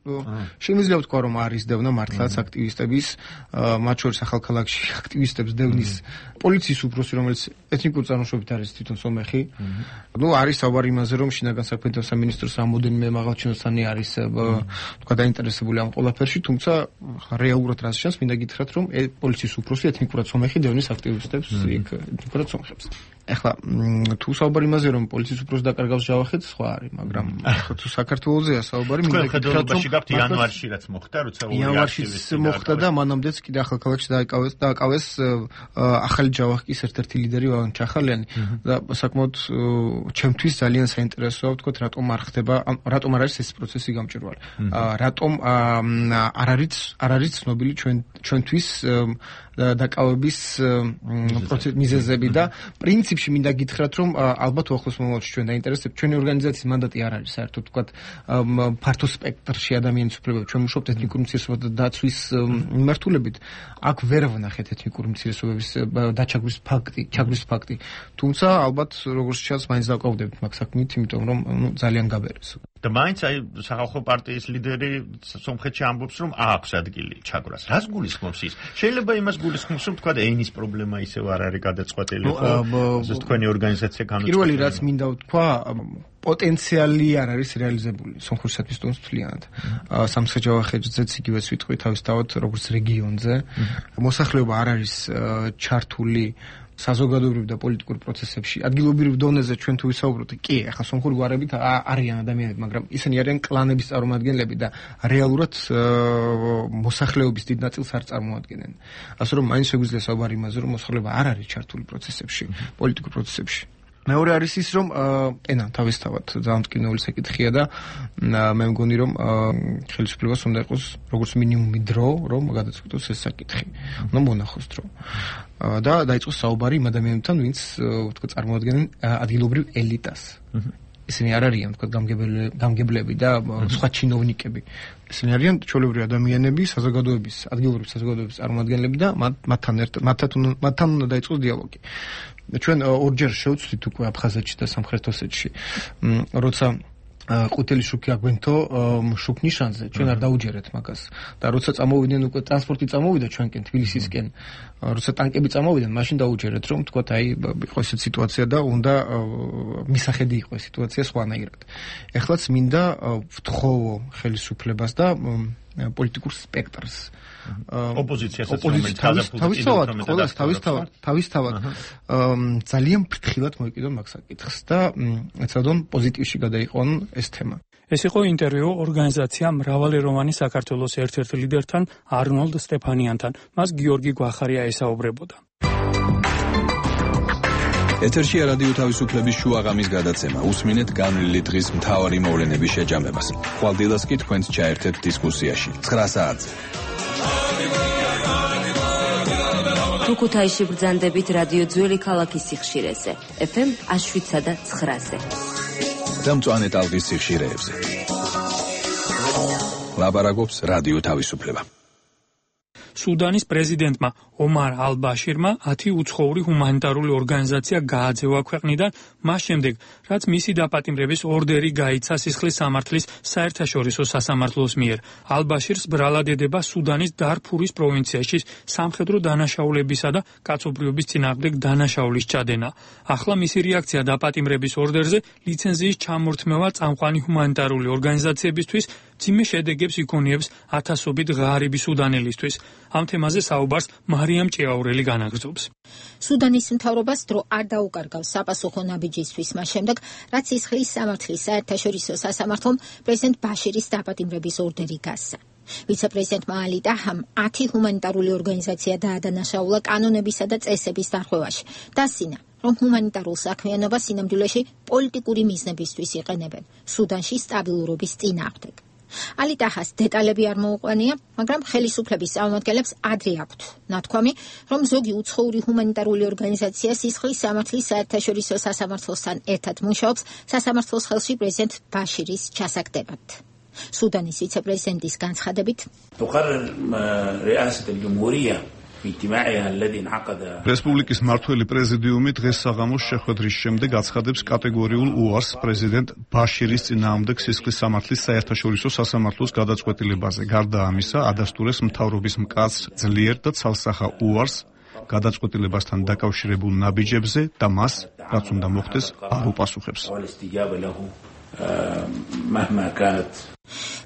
შემიძლია ვთქვა, რომ არის დევნა მართლაც აქტივისტების, მათ შორის ახალქალაქში აქტივისტებს დევნის პოლიციის უფროსი, რომელიც ეთნიკური წარმოშობით არის თვითონ სომეხი. არის საუბარი იმაზე, რომ შინაგან საქმეთა სამინისტროს რამოდენიმე მაღალჩინოსანი არის თქვა დაინტერესებული ამ ყველაფერში, თუმცა რეალურად რაც ჩანს, მინდა გითხრათ, რომ პოლიციის უფროსი ეთნიკურად სომეხი დევნის აქტივისტებს იქ ეთნიკურად სომხებს. ეხლა თუ საუბარი იმაზე, რომ პოლიციის უფროსი დაკარგავს ჯავახეთს, სხვა არის, მაგრამ თუ საქართველოსია საუბარი, მინდა გითხრათ, რომ იანვარში რაც მოხდა, როცა იანვარში მოხდა და მანამდეც კიდე ახალქალაქში დააკავეს ახალი ჯავახის ერთ-ერთი ლიდერი ვაგან ჩახალიანი და საკმაოდ ჩემთვის ძალიან საინტერესოა ვთქვათ, რატომ არ ხდება, რატომ არ არის ეს პროცესი გამჭვირვალე. რატომ არ არის ცნობილი ჩვენთვის დაკავების მიზეზები და პრინციპში მინდა გითხრათ, რომ ალბათ უახლოს მომავალში ჩვენ დაინტერესებს ჩვენი ორგანიზაციის მანდატი არ არის საერთოდ ვთქვათ ფართო სპექტრში ადამიანის უფლებები. ჩვენ ვმუშაობთ ეთნიკური უმცირესობათა დაცვის მიმართულებით. აქ ვერ ვნახეთ ეთნიკური უმცირესობების დაჩაგვის ფაქტი. თუმცა ალბათ როგორც ჩანს, მაინც დავკავდებით მაგ საქმით, იმიტომ რომ ძალიან გაბერეს. და მაინც აი სახალხო პარტიის ლიდერი სომხეთში ამბობს, რომ აქვს ადგილი ჩაგვრას. რას გულისხმობს ის? შეიძლება იმას გულისხმობს, რომ თქვა ენის პრობლემა ისევ არ არის გადაწყვეტილი, ხო? ეს თქვენი ორგანიზაცია განუცხადებს. პირველი რაც მინდა ვთქვა, პოტენციალი არ არის რეალიზებული სომხურისათვის თვლიანად. სამცხე-ჯავახეთზეც იგივე სიტყვი თავისთავად როგორც რეგიონზე. მოსახლეობა არ არის ჩართული საზოგადოებრივ და პოლიტიკურ პროცესებში. ადგილობრივ დონეზე ჩვენ თუ ვისაუბროთ, კი, ახლა სომხური გვარებით არიან ადამიანები, მაგრამ ისინი არიან კლანების წარმომადგენლები და რეალურად მოსახლეობის დიდ ნაწილს არ წარმოადგენენ. ასე რომ მაინც შეგვიძლია საუბარი იმაზე, რომ მოსახლეობა არ არის ჩართული პროცესებში, პოლიტიკურ პროცესებში. მეორე არის ის, რომ ენა თავისთავად ძალიან მტკივნეული საკითხია და მე მგონი, რომ ხელისუფლებას უნდა იყოს როგორც მინიმუმი დრო, რომ გადაწყვეტოს ეს საკითხი. უნდა მონახოს დრო. და დაიწყოს საუბარი იმ ადამიანებთან, ვინც ვთქვათ წარმოადგენენ ადგილობრივ ელიტას. ისინი არ არიან ვთქვათ გამგებლები და სხვა ჩინოვნიკები. ისინი არიან ჩვეულებრივი ადამიანები, ადგილობრივი საზოგადოების წარმომადგენლები და მათთან უნდა დაიწყოს დიალოგი. ჩვენ ორჯერ შევცვლით უკვე აფხაზეთში და სამხრეთ ოსეთში, როცა ყვითელი შუქი აგვენთო შუქ ნიშანზე, ჩვენ არ დაუჯერეთ მაგას. და როცა წამოვიდნენ უკვე ტრანსპორტი წამოვიდა ჩვენკენ თბილისისკენ, როცა ტანკები წამოვიდნენ, მაშინ დაუჯერეთ, რომ თქვათ აი იყო ესეთ სიტუაცია და უნდა მისახედი იყო ეს სიტუაცია სხვანაირად. ეხლაც მინდა ვთხოვო ხელისუფლებას და პოლიტიკურ სპექტრს. ოპოზიციასაც თავისთავად ძალიან ფრთხილად მოიკიდონ მაგ საკითხს და ეცადონ პოზიტივში გადაიყვანონ ეს თემა. ეს იყო ინტერვიუ ორგანიზაცია მრავალი რომანი საქართველოს ერთ-ერთ ლიდერთან არნოლდ სტეფანიანთან. მას გიორგი გვახარია ესაუბრებოდა. ეთერშია რადიო თავისუფლების შუაღამის გადაცემა. უსმინეთ განვლილი დღის მთავარი მოვლენების შეჯამებას. ხვალდილას კი თქვენს ჩაერთეთ დისკუსიაში. 9 საათზე. ქუთაისში ბრძანდებით რადიო ძველი ქალაქის სიხშირეზე. FM 7-სა და 9-ზე. და მწვანე ტალღის სიხშირეებზე. ლაბარაკობს რადიო თავისუფლება. სუდანის პრეზიდენტმა ომარ ალ-ბაშირმა 10 უცხოური ჰუმანიტარული ორგანიზაცია გააძევა ქვეყნიდან მას შემდეგ, რაც მისი დაპატიმრების ორდერი გაიცა სისხლის სამართლის საერთაშორისო სასამართლოს მიერ. ალ-ბაშირს ბრალად ედება სუდანის დარფურის პროვინციაში სამხედრო დანაშაულებისა და კაცობრიობის წინააღმდეგ დანაშაულის ჩადენა. ახლა მისი რეაქცია დაპატიმრების ორდერზე ლიცენზიის ჩამორთმევა წამყვანი ჰუმანიტარული ორგანიზაციებისთვის მძიმე შედეგებს იქონიებს ათასობით ღარიბი სუდანელისთვის. ამ თემაზე საუბარს მარიამ ჭიაურელი განაგრძობს. სუდანის მთავრობას დრო არ დაუკარგავს საპასუხო ნაბიჯისთვის მას შემდეგ, რაც სისხლის სამართლის საერთაშორისო სასამართლომ პრეზიდენტ ბაშირის დაპატიმრების ორდერი გასცა. ვიცე-პრეზიდენტმა ალი ტაჰამ 10 ჰუმანიტარული ორგანიზაცია დაადანაშაულა კანონებისა და წესების დარღვევაში. დასცინა, რომ ჰუმანიტარულ საქმიანობას სინამდვილეში პოლიტიკური მიზნებისთვის იყენებენ სუდანში სტაბილურობის წინააღმდეგ. ალი ტაჰას დეტალები არ მოუყვანია, მაგრამ ხელისუფლების წარმომადგენლებს ადრე აქვთ ნათქვამი, რომ ზოგი უცხოური ჰუმანიტარული ორგანიზაცია სისხლის სამართლის საერთაშორისო სასამართლოსთან ერთად მუშაობს სასამართლოს ხელში პრეზიდენტ ბაშირის ჩასაგდებად. სუდანის ვიცე-პრეზიდენტის განცხადებით, რესპუბლიკის მმართველი პრეზიდიუმი დღეს საღამოს შეხვედრის შემდეგ აცხადებს კატეგორიულ უარს პრეზიდენტ ბაშირის წინააღმდეგ სისხლის სამართლის საერთაშორისო სასამართლოს გადაწყვეტილებაზე. გარდა ამისა, ადასტურეს მთავრობის მკაცრ, ძლიერ და ცალსახა უარს გადაწყვეტილებასთან დაკავშირებულ ნაბიჯებზე და მას, რაც უნდა მოხდეს, არ უპასუხებს.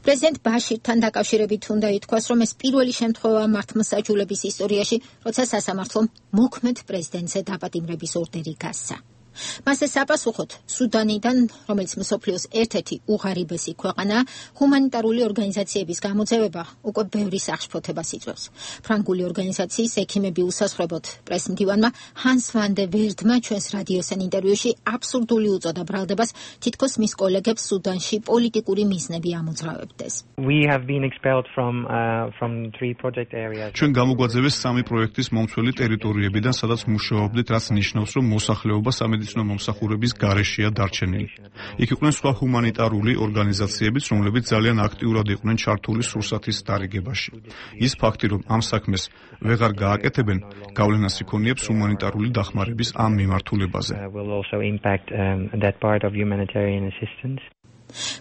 პრეზიდენტ ბაშირთან დაკავშირებით უნდა ითქვას, რომ ეს პირველი შემთხვევაა მართლმსაჯულების ისტორიაში, როცა სასამართლომ მოქმედ პრეზიდენტზე დაპატიმრების ორდერი გასცა. მასზე საპასუხოდ სუდანიდან, რომელიც მსოფლიოს ერთ-ერთი უღარიბესი ქვეყანაა, ჰუმანიტარული ორგანიზაციების გამოძევება უკვე ბევრი სახშფოთებას იწვევს. ფრანგული ორგანიზაციის ექიმები უსასრულოდ პრესმდივანმა ჰანს ვან დე ვერდმა ჩვენს რადიოსთან ინტერვიუში აბსურდული უწოდა ბრალდებას, თითქოს მის კოლეგებს სუდანში პოლიტიკური მიზნები ამოძრავებდეს. ჩვენ გამოგვაძევეს 3 პროექტის მომცველი ტერიტორიებიდან, სადაც მუშაობდით, რაც ნიშნავს, რომ მოსახლეობა სამედიცინო მომსახურების გარეშეა დარჩენილი. იქ იყვნენ სხვა ჰუმანიტარული ორგანიზაციებიც, რომლებიც ძალიან აქტიურად იყვნენ ჩართული სურსათის დარიგებაში. ის ფაქტი, რომ ამ საქმეს ვეღარ გააკეთებენ, გავლენას იქონიებს ჰუმანიტარული დახმარების ამ მიმართულებაზე.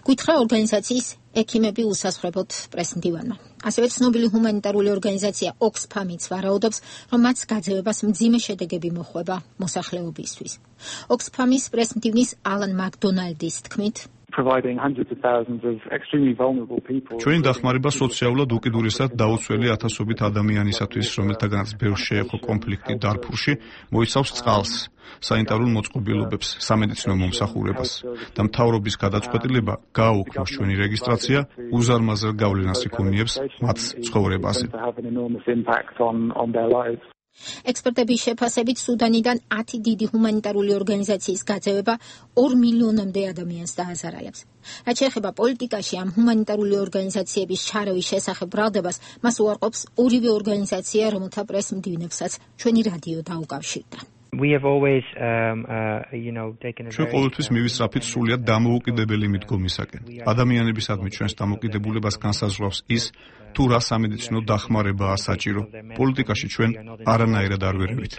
გითხრა ორგანიზაციის ექიმები უსასრულოდ პრესმდივანმა. ასევე ცნობილი ჰუმანიტარული ორგანიზაცია ოქსფამიც ვარაუდობს, რომ მათ გაძევებას მძიმე შედეგები მოხვება მოსახლეობისთვის. ოქსფამის პრესმდივნის ალან მაკდონალდის თქმით, ჩვენი დახმარება სოციალურად უკიდურესად დაუცველი ათასობით ადამიანისათვის, რომელთაგანაც ბევრს შეეხო კონფლიქტი დარფურში, მოიცავს წყალს, სანიტარულ მოწყობილობებს, სამედიცინო მომსახურებას და მთავრობის გადაწყვეტილება გააუქმოს ჩვენი რეგისტრაცია უზარმაზარ გავლენას იქონიებს მათ ცხოვრებაზე. ექსპერტების შეფასებით სუდანიდან 10 დიდი ჰუმანიტარული ორგანიზაციის გაძევება 2 მილიონამდე ადამიანს დააზარალებს. რაც შეეხება პოლიტიკაში ამ ჰუმანიტარული ორგანიზაციების ჩარევის შესახებ ბრალდებას, მას უარყოფს ორივე ორგანიზაცია, რომელთა პრესმდივნებსაც ჩვენი რადიო დაუკავშირდა. ჩვენ ყოველთვის მივისწრაფით სრულიად დამოუკიდებელი მიდგომისაკენ. ადამიანებისადმი ჩვენს დამოკიდებულებას განსაზღვრავს ის, თუ რა სამედიცინო დახმარებაა საჭირო. პოლიტიკაში ჩვენ არანაირად არ ვერევით.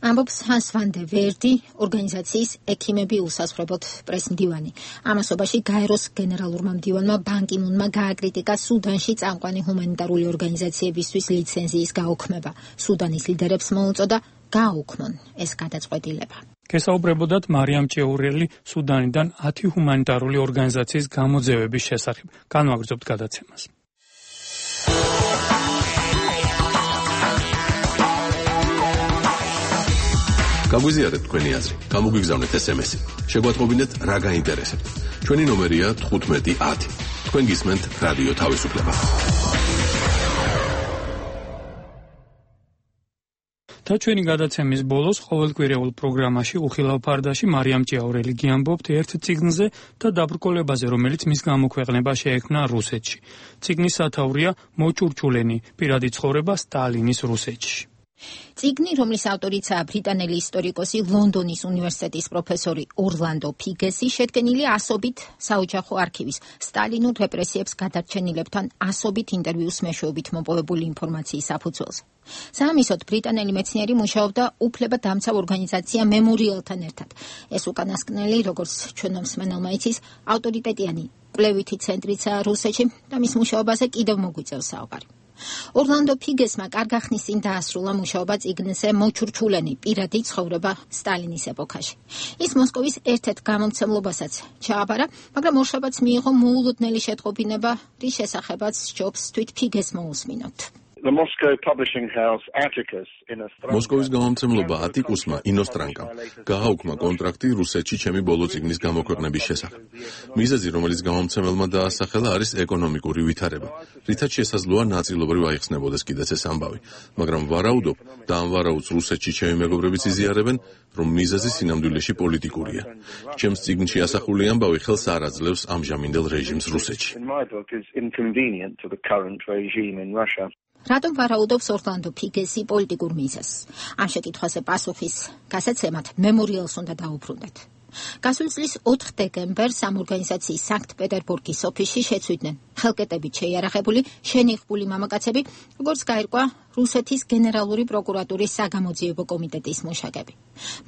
ამბობს ჰანს ვან დე ვერდი, ორგანიზაციის ექიმები უსასრულოდ პრესმდივანი. ამასობაში გაეროს გენერალურმა მდივანმა ბან კი მუნმა გააკრიტიკა სუდანში წამყვანი ჰუმანიტარული ორგანიზაციებისთვის ლიცენზიის გაუქმება. სუდანის ლიდერებს მოუწოდა გააუქმონ ეს გადაწყვეტილება. გესაუბრებოდათ მარიამ ჭიაურელი სუდანიდან 10 ჰუმანიტარული ორგანიზაციის გამოძევების შესახებ. განვაგრძობთ გადაცემას. გაგვიზიარეთ თქვენი აზრი, გამოგვიგზავნეთ SMS-ი. შეგვატყობინეთ რა გაინტერესებთ. ჩვენი ნომერია 1510. თქვენ გისმენთ რადიო თავისუფლება. და ჩვენი გადაცემის ბოლოს ყოველკვირეულ პროგრამაში უხილავ ფარდაში მარიამ ჭიაურელი გიამბობთ ერთ წიგნზე და დაბრკოლებაზე, რომელიც მის გამოქვეყნება შეექმნა რუსეთში. წიგნის სათაურია მოჭურჭულენი პირადი ცხოვრება სტალინის რუსეთში. წიგნი, რომლის ავტორიცაა ბრიტანელი ისტორიკოსი, ლონდონის უნივერსიტეტის პროფესორი ორლანდო ფიგესი, შედგენილი ასობით საოჯახო არქივის, სტალინურ რეპრესიებს გადარჩენილებთან ასობით ინტერვიუს მეშვეობით მოპოვებული ინფორმაციის საფუძველზე. საამისოდ ბრიტანელი მეცნიერი მუშაობდა უფლებადამცავ ორგანიზაცია მემორიალთან ერთად. ეს უკანასკნელი, როგორც ჩვენო მსმენელმა იცის, ავტორიტეტიანი კვლევითი ცენტრიცაა რუსეთში და მის მუშაობაზე კიდევ მოგვიწევს საუბარი. ორლანდო ფიგესმა კარგახნის წინ დაასრულა მუშაობა წიგნზე მოჩურჩულენი პირადი ცხოვრება სტალინის ეპოქაში. ის მოსკოვის ერთ-ერთ გამომცემლობასაც ჩააბარა, მაგრამ ორშაბათს მიიღო მოულოდნელი შეტყობინება, რის შესახებაც სჯობს თვით ფიგეს მოусმინოთ. მოსკოვის გამომცემლობა ატიკუსმა ინოსტრანკამ გააუქმა კონტრაქტი რუსეთში ჩემი ბოლო წიგნის გამოქვეყნების შესახებ. მიზეზი, რომელიც გამომცემელმა დაასახელა, არის ეკონომიკური ვითარება, რითაც შესაძლოა ნაწილობრივ აიხსნებოდეს კიდეც ეს ამბავი, მაგრამ ვარაუდობ და ამ ვარაუდს რუსეთში ჩემი მეგობრებიც იზიარებენ, რომ მიზეზი სინამდვილეში პოლიტიკურია. ჩემს წიგნში ასახული ამბავი ხელს არ აძლევს ამჟამინდელ რეჟიმს რუსეთში. რატომ ვარაუდობს ორლანდო ფიგესი პოლიტიკურ მიზეზს? ამ შეკითხვაზე პასუხის გასაცემად მემორიალს უნდა დაუბრუნდეთ. გასულ წლის 4 დეკემბერს ამ ორგანიზაციის სანქტ-პეტერბურგის ოფისში შეცვლიდნენ ხელკეტებით შეიარაღებული შენიღბული მამაკაცები, როგორც გაირკვა რუსეთის გენერალური პროკურატურის საგამოძიებო კომიტეტის მუშაკები.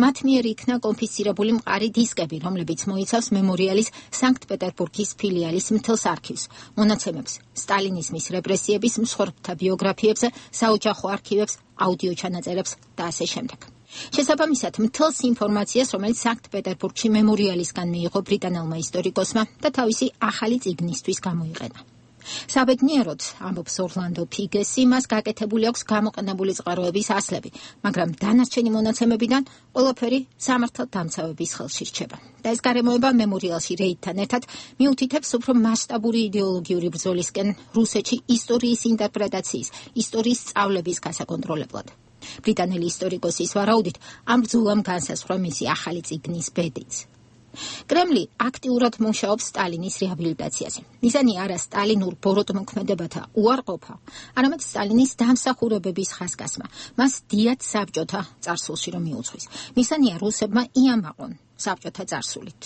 მათ მიერ იქნა კონფისცირებული მყარი დისკები, რომლებიც მოიცავს მემორიალის სანქტ-პეტერბურგის ფილიალის მთელს არქივს, მონაცემებს სტალინიზმის რეპრესიების მსხვერპლთა ბიოგრაფიებზე, საოჯახო არქივებს, აუდიო ჩანაწერებს და ასე შემდეგ. შესაბამისად, მთელს ინფორმაციას, რომელიც სანქტ-პეტერბურგში მემორიალისგან მიიღო ბრიტანელმა ისტორიკოსმა და თავისი ახალი წიგნისთვის გამოიყენა. საბედნიეროდ, ამბობს ორლანდო ფიგესი, მას გაკეთებული აქვს გამოყენებული წყაროების ასლები, მაგრამ დანარჩენი მონაცემებიდან ყველაფერი სამართალდამცავების ხელში რჩება. და ეს გარემოება მემორიალში რეიდთან ერთად მიუთითებს უფრო მასშტაბური იდეოლოგიური ბრძოლისკენ რუსეთში ისტორიის ინტერპრეტაციის, ისტორიის სწავლების გასაკონტროლებლად. ბრიტანელი ისტორიკოსის ვარაუდით, ამ ბრძოლამ განსაზღვრა მისი ახალი წიგნის ბედიც. კრემლი აქტიურად მუშაობს სტალინის რეაბილიტაციაზე. მიზანი არა სტალინურ ბოროტმოქმედებათა უარყოფა, არამედ სტალინის დამსახურებების ხაზგასმა, მას დიად საბჭოთა წარსულში რომ მიუძღვის. მიზანია რუსებმა იამაყონ საბჭოთა წარსულით.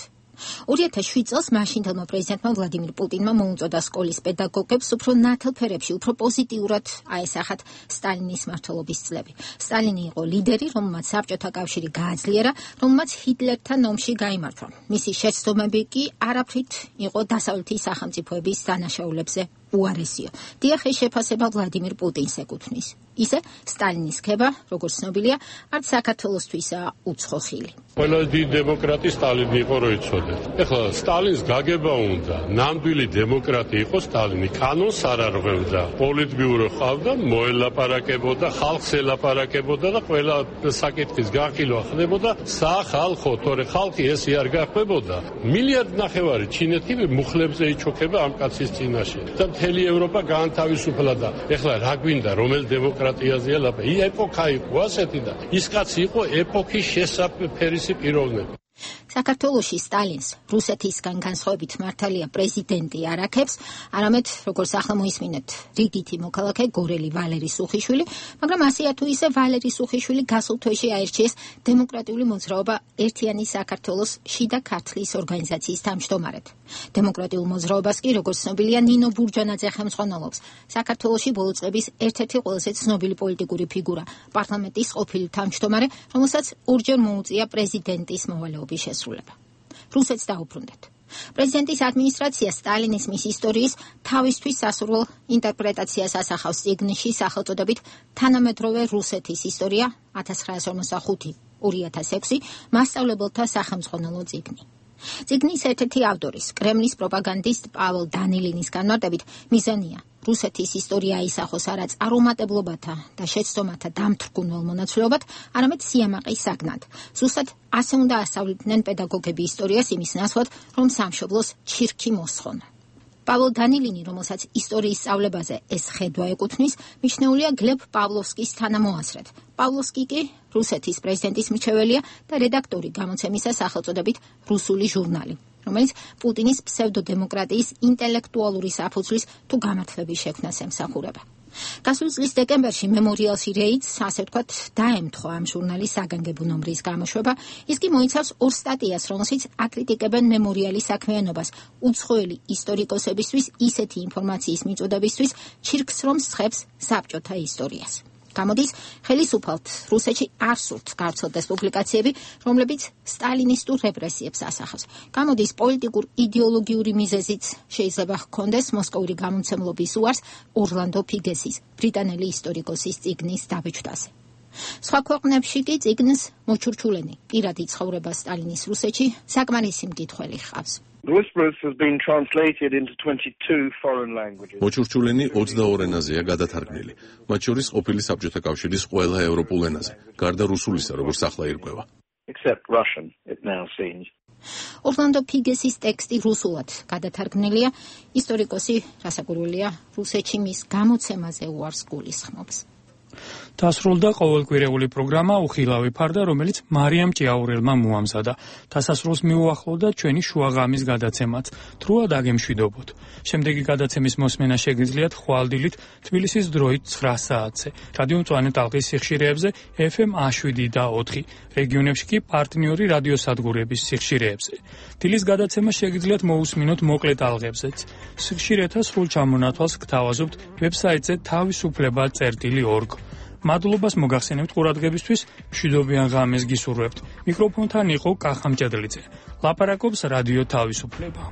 2007 წელს მაშინდელმა პრეზიდენტმა ვლადიმირ პუტინმა მოუწოდა სკოლის პედაგოგებს უფრო ნათელ ფერებში, უფრო პოზიტიურად აესახათ სტალინის მმართველობის წლები. სტალინი იყო ლიდერი, რომელმაც საბჭოთა კავშირი გააძლიერა, რომელმაც ჰიტლერთან ომში გაიმარჯვა. მისი შეცდომები კი არაფრით იყო დასავლეთის სახელმწიფოების დანაშაულებზე უარესიო. დიახ, ეს შეფასება ვლადიმირ პუტინს ეკუთვნის. ისე სტალინის ქება, როგორც ცნობილია, არც საქართველოსთვისაა უცხო ხილი. ყველა დიდი დემოკრატი სტალინი იყო, რო იცოდეთ. ეხლა სტალინს გაგება უნდა, ნამდვილი დემოკრატი იყო სტალინი, კანონს არ არღვევდა, პოლიტბიურო ყავდა, მოელაპარაკებოდა, ხალხს ელაპარაკებოდა და ყველა საკითხის განხილვა ხდებოდა სახალხო, თორე ხალხი ესე არ გახვებოდა. 1,5 მილიარდი ჩინეთი მუხლებზე იჩოქება ამ კაცის წინაშე. და მთელი ევროპა გაანთავისუფლა და ეხლა რა გვინდა, რომელ დემოკრატიაზეა ლაპარაკი? ეპოქა იყო ასეთი და ის კაცი იყო ეპოქის შესაფერისი პიროვნება. საქართველოში სტალინს რუსეთისგან განსხვავებით მართალია პრეზიდენტი არ აქებს, არამედ როგორც ახლა მოისმინეთ, რიგითი მოქალაქე გორელი ვალერი სუხიშვილი, მაგრამ ასეა თუ ისე ვალერი სუხიშვილი გასულ თვეში აირჩიეს დემოკრატიული მოძრაობა ერთიანი საქართველოს შიდა ქართლის ორგანიზაციის თავმჯდომარედ. დემოკრატიულ მოძრაობას კი, როგორც ცნობილია, ნინო ბურჯანაძე ხელმძღვანელობს. საქართველოში ბოლო წლების ერთ-ერთი ყველაზე ცნობილი პოლიტიკური ფიგურა, პარლამენტის ყოფილი თავმჯდომარე, რომელსაც ორჯერ მოუწია პრეზიდენტის მოვალეობის შესრულება. რუსეთს დაუბრუნდეთ. პრეზიდენტის ადმინისტრაცია სტალინიზმის ისტორიის თავისთვის სასურველ ინტერპრეტაციას ასახავს წიგნში სახელწოდებით თანამედროვე რუსეთის ისტორია 1945-2006 მასწავლებელთა სახელმძღვანელო წიგნი. წიგნის ერთ-ერთი ავტორის, კრემლის პროპაგანდისტ პაველ დანილინის განმარტებით, მიზანია რუსეთის ისტორია აისახოს არა წარუმატებლობათა და შეცდომათა დამთრგუნველ მონაცვლეობად, არამედ სიამაყის საგნად. ზუსტად ასე უნდა ასწავლიდნენ პედაგოგები ისტორიას იმის ნაცვლად, რომ სამშობლოს ჩირქი მოსხონ. პაველ დანილინი, რომელსაც ისტორიის სწავლებაზე ეს ხედვა ეკუთვნის, მიჩნეულია გლებ პავლოვსკის თანამოაზრედ. პავლოვსკი კი რუსეთის პრეზიდენტის მრჩეველია და რედაქტორი გამოცემისა სახელწოდებით რუსული ჟურნალი, რომელიც პუტინის ფსევდოდემოკრატიის ინტელექტუალური საფუძვლის თუ გამართლების შექმნას ემსახურება. გასულ წლის დეკემბერში მემორიალში რეიდს, ასე ვთქვათ, დაემთხვა ამ ჟურნალის საგანგებო ნომრის გამოშვება. ის კი მოიცავს 2 სტატიას, რომელშიც აკრიტიკებენ მემორიალის საქმიანობას უცხოელი ისტორიკოსებისთვის ისეთი ინფორმაციის მიწოდებისთვის, ჩირქს რომ სხებს საბჭოთა ისტორიას. გამოდის, ხელისუფალთ რუსეთში არ სურთ გავრცელდეს პუბლიკაციები, რომლებიც სტალინისტურ რეპრესიებს ასახავს. გამოდის, პოლიტიკურ იდეოლოგიური მიზეზიც შეიძლება ჰქონდეს მოსკოვური გამომცემლობის უარს ორლანდო ფიგესის, ბრიტანელი ისტორიკოსის წიგნის დაბეჭდაზე. სხვა ქვეყნებში კი წიგნს მოჩურჩულენი პირადი ცხოვრება სტალინის რუსეთში საკმარისი მკითხველი ჰყავს. მოჩურჩულენი 22 ენაზეა გადათარგმნილი, მათ შორის ყოფილი საბჭოთა კავშირის ყველა ევროპულ ენაზე, გარდა რუსულისა, როგორც ახლა ირკვევა. ორლანდო ფიგესის ტექსტი რუსულად გადათარგმნილია, ისტორიკოსი რასაკვირველია რუსეთში მის გამოცემაზე უარს გულისხმობს. დასრულდა ყოველკვირეული პროგრამა უხილავი ფარდა, რომელიც მარიამ ჭიაურელმა მოამზადა. დასასრულს მიუახლოვდა ჩვენი შუაღამის გადაცემაც. თრუა დაგემშვიდობოთ. შემდეგი გადაცემის მოსმენა შეგიძლიათ ხვალდილით თბილისის დროით 9 საათზე. რადიო მწვანე ტალღის სიხშირეებზე FM 7 და 4, რეგიონებში კი პარტნიორი რადიოსადგურების სიხშირეებზე. დილის გადაცემა შეგიძლიათ მოусმინოთ მოკლე ტალღებზეც. სიხშირეთა სრულ ჩამონათვალს გთავაზობთ ვებსაიტზე თავისუფლება.org. მადლობას მოგახსენებთ ყურადღებისთვის, მშვიდობიან ღამეს გისურვებთ. მიკროფონთან იყო კახა მჭედლიძე. ლაპარაკობს რადიო თავისუფლება.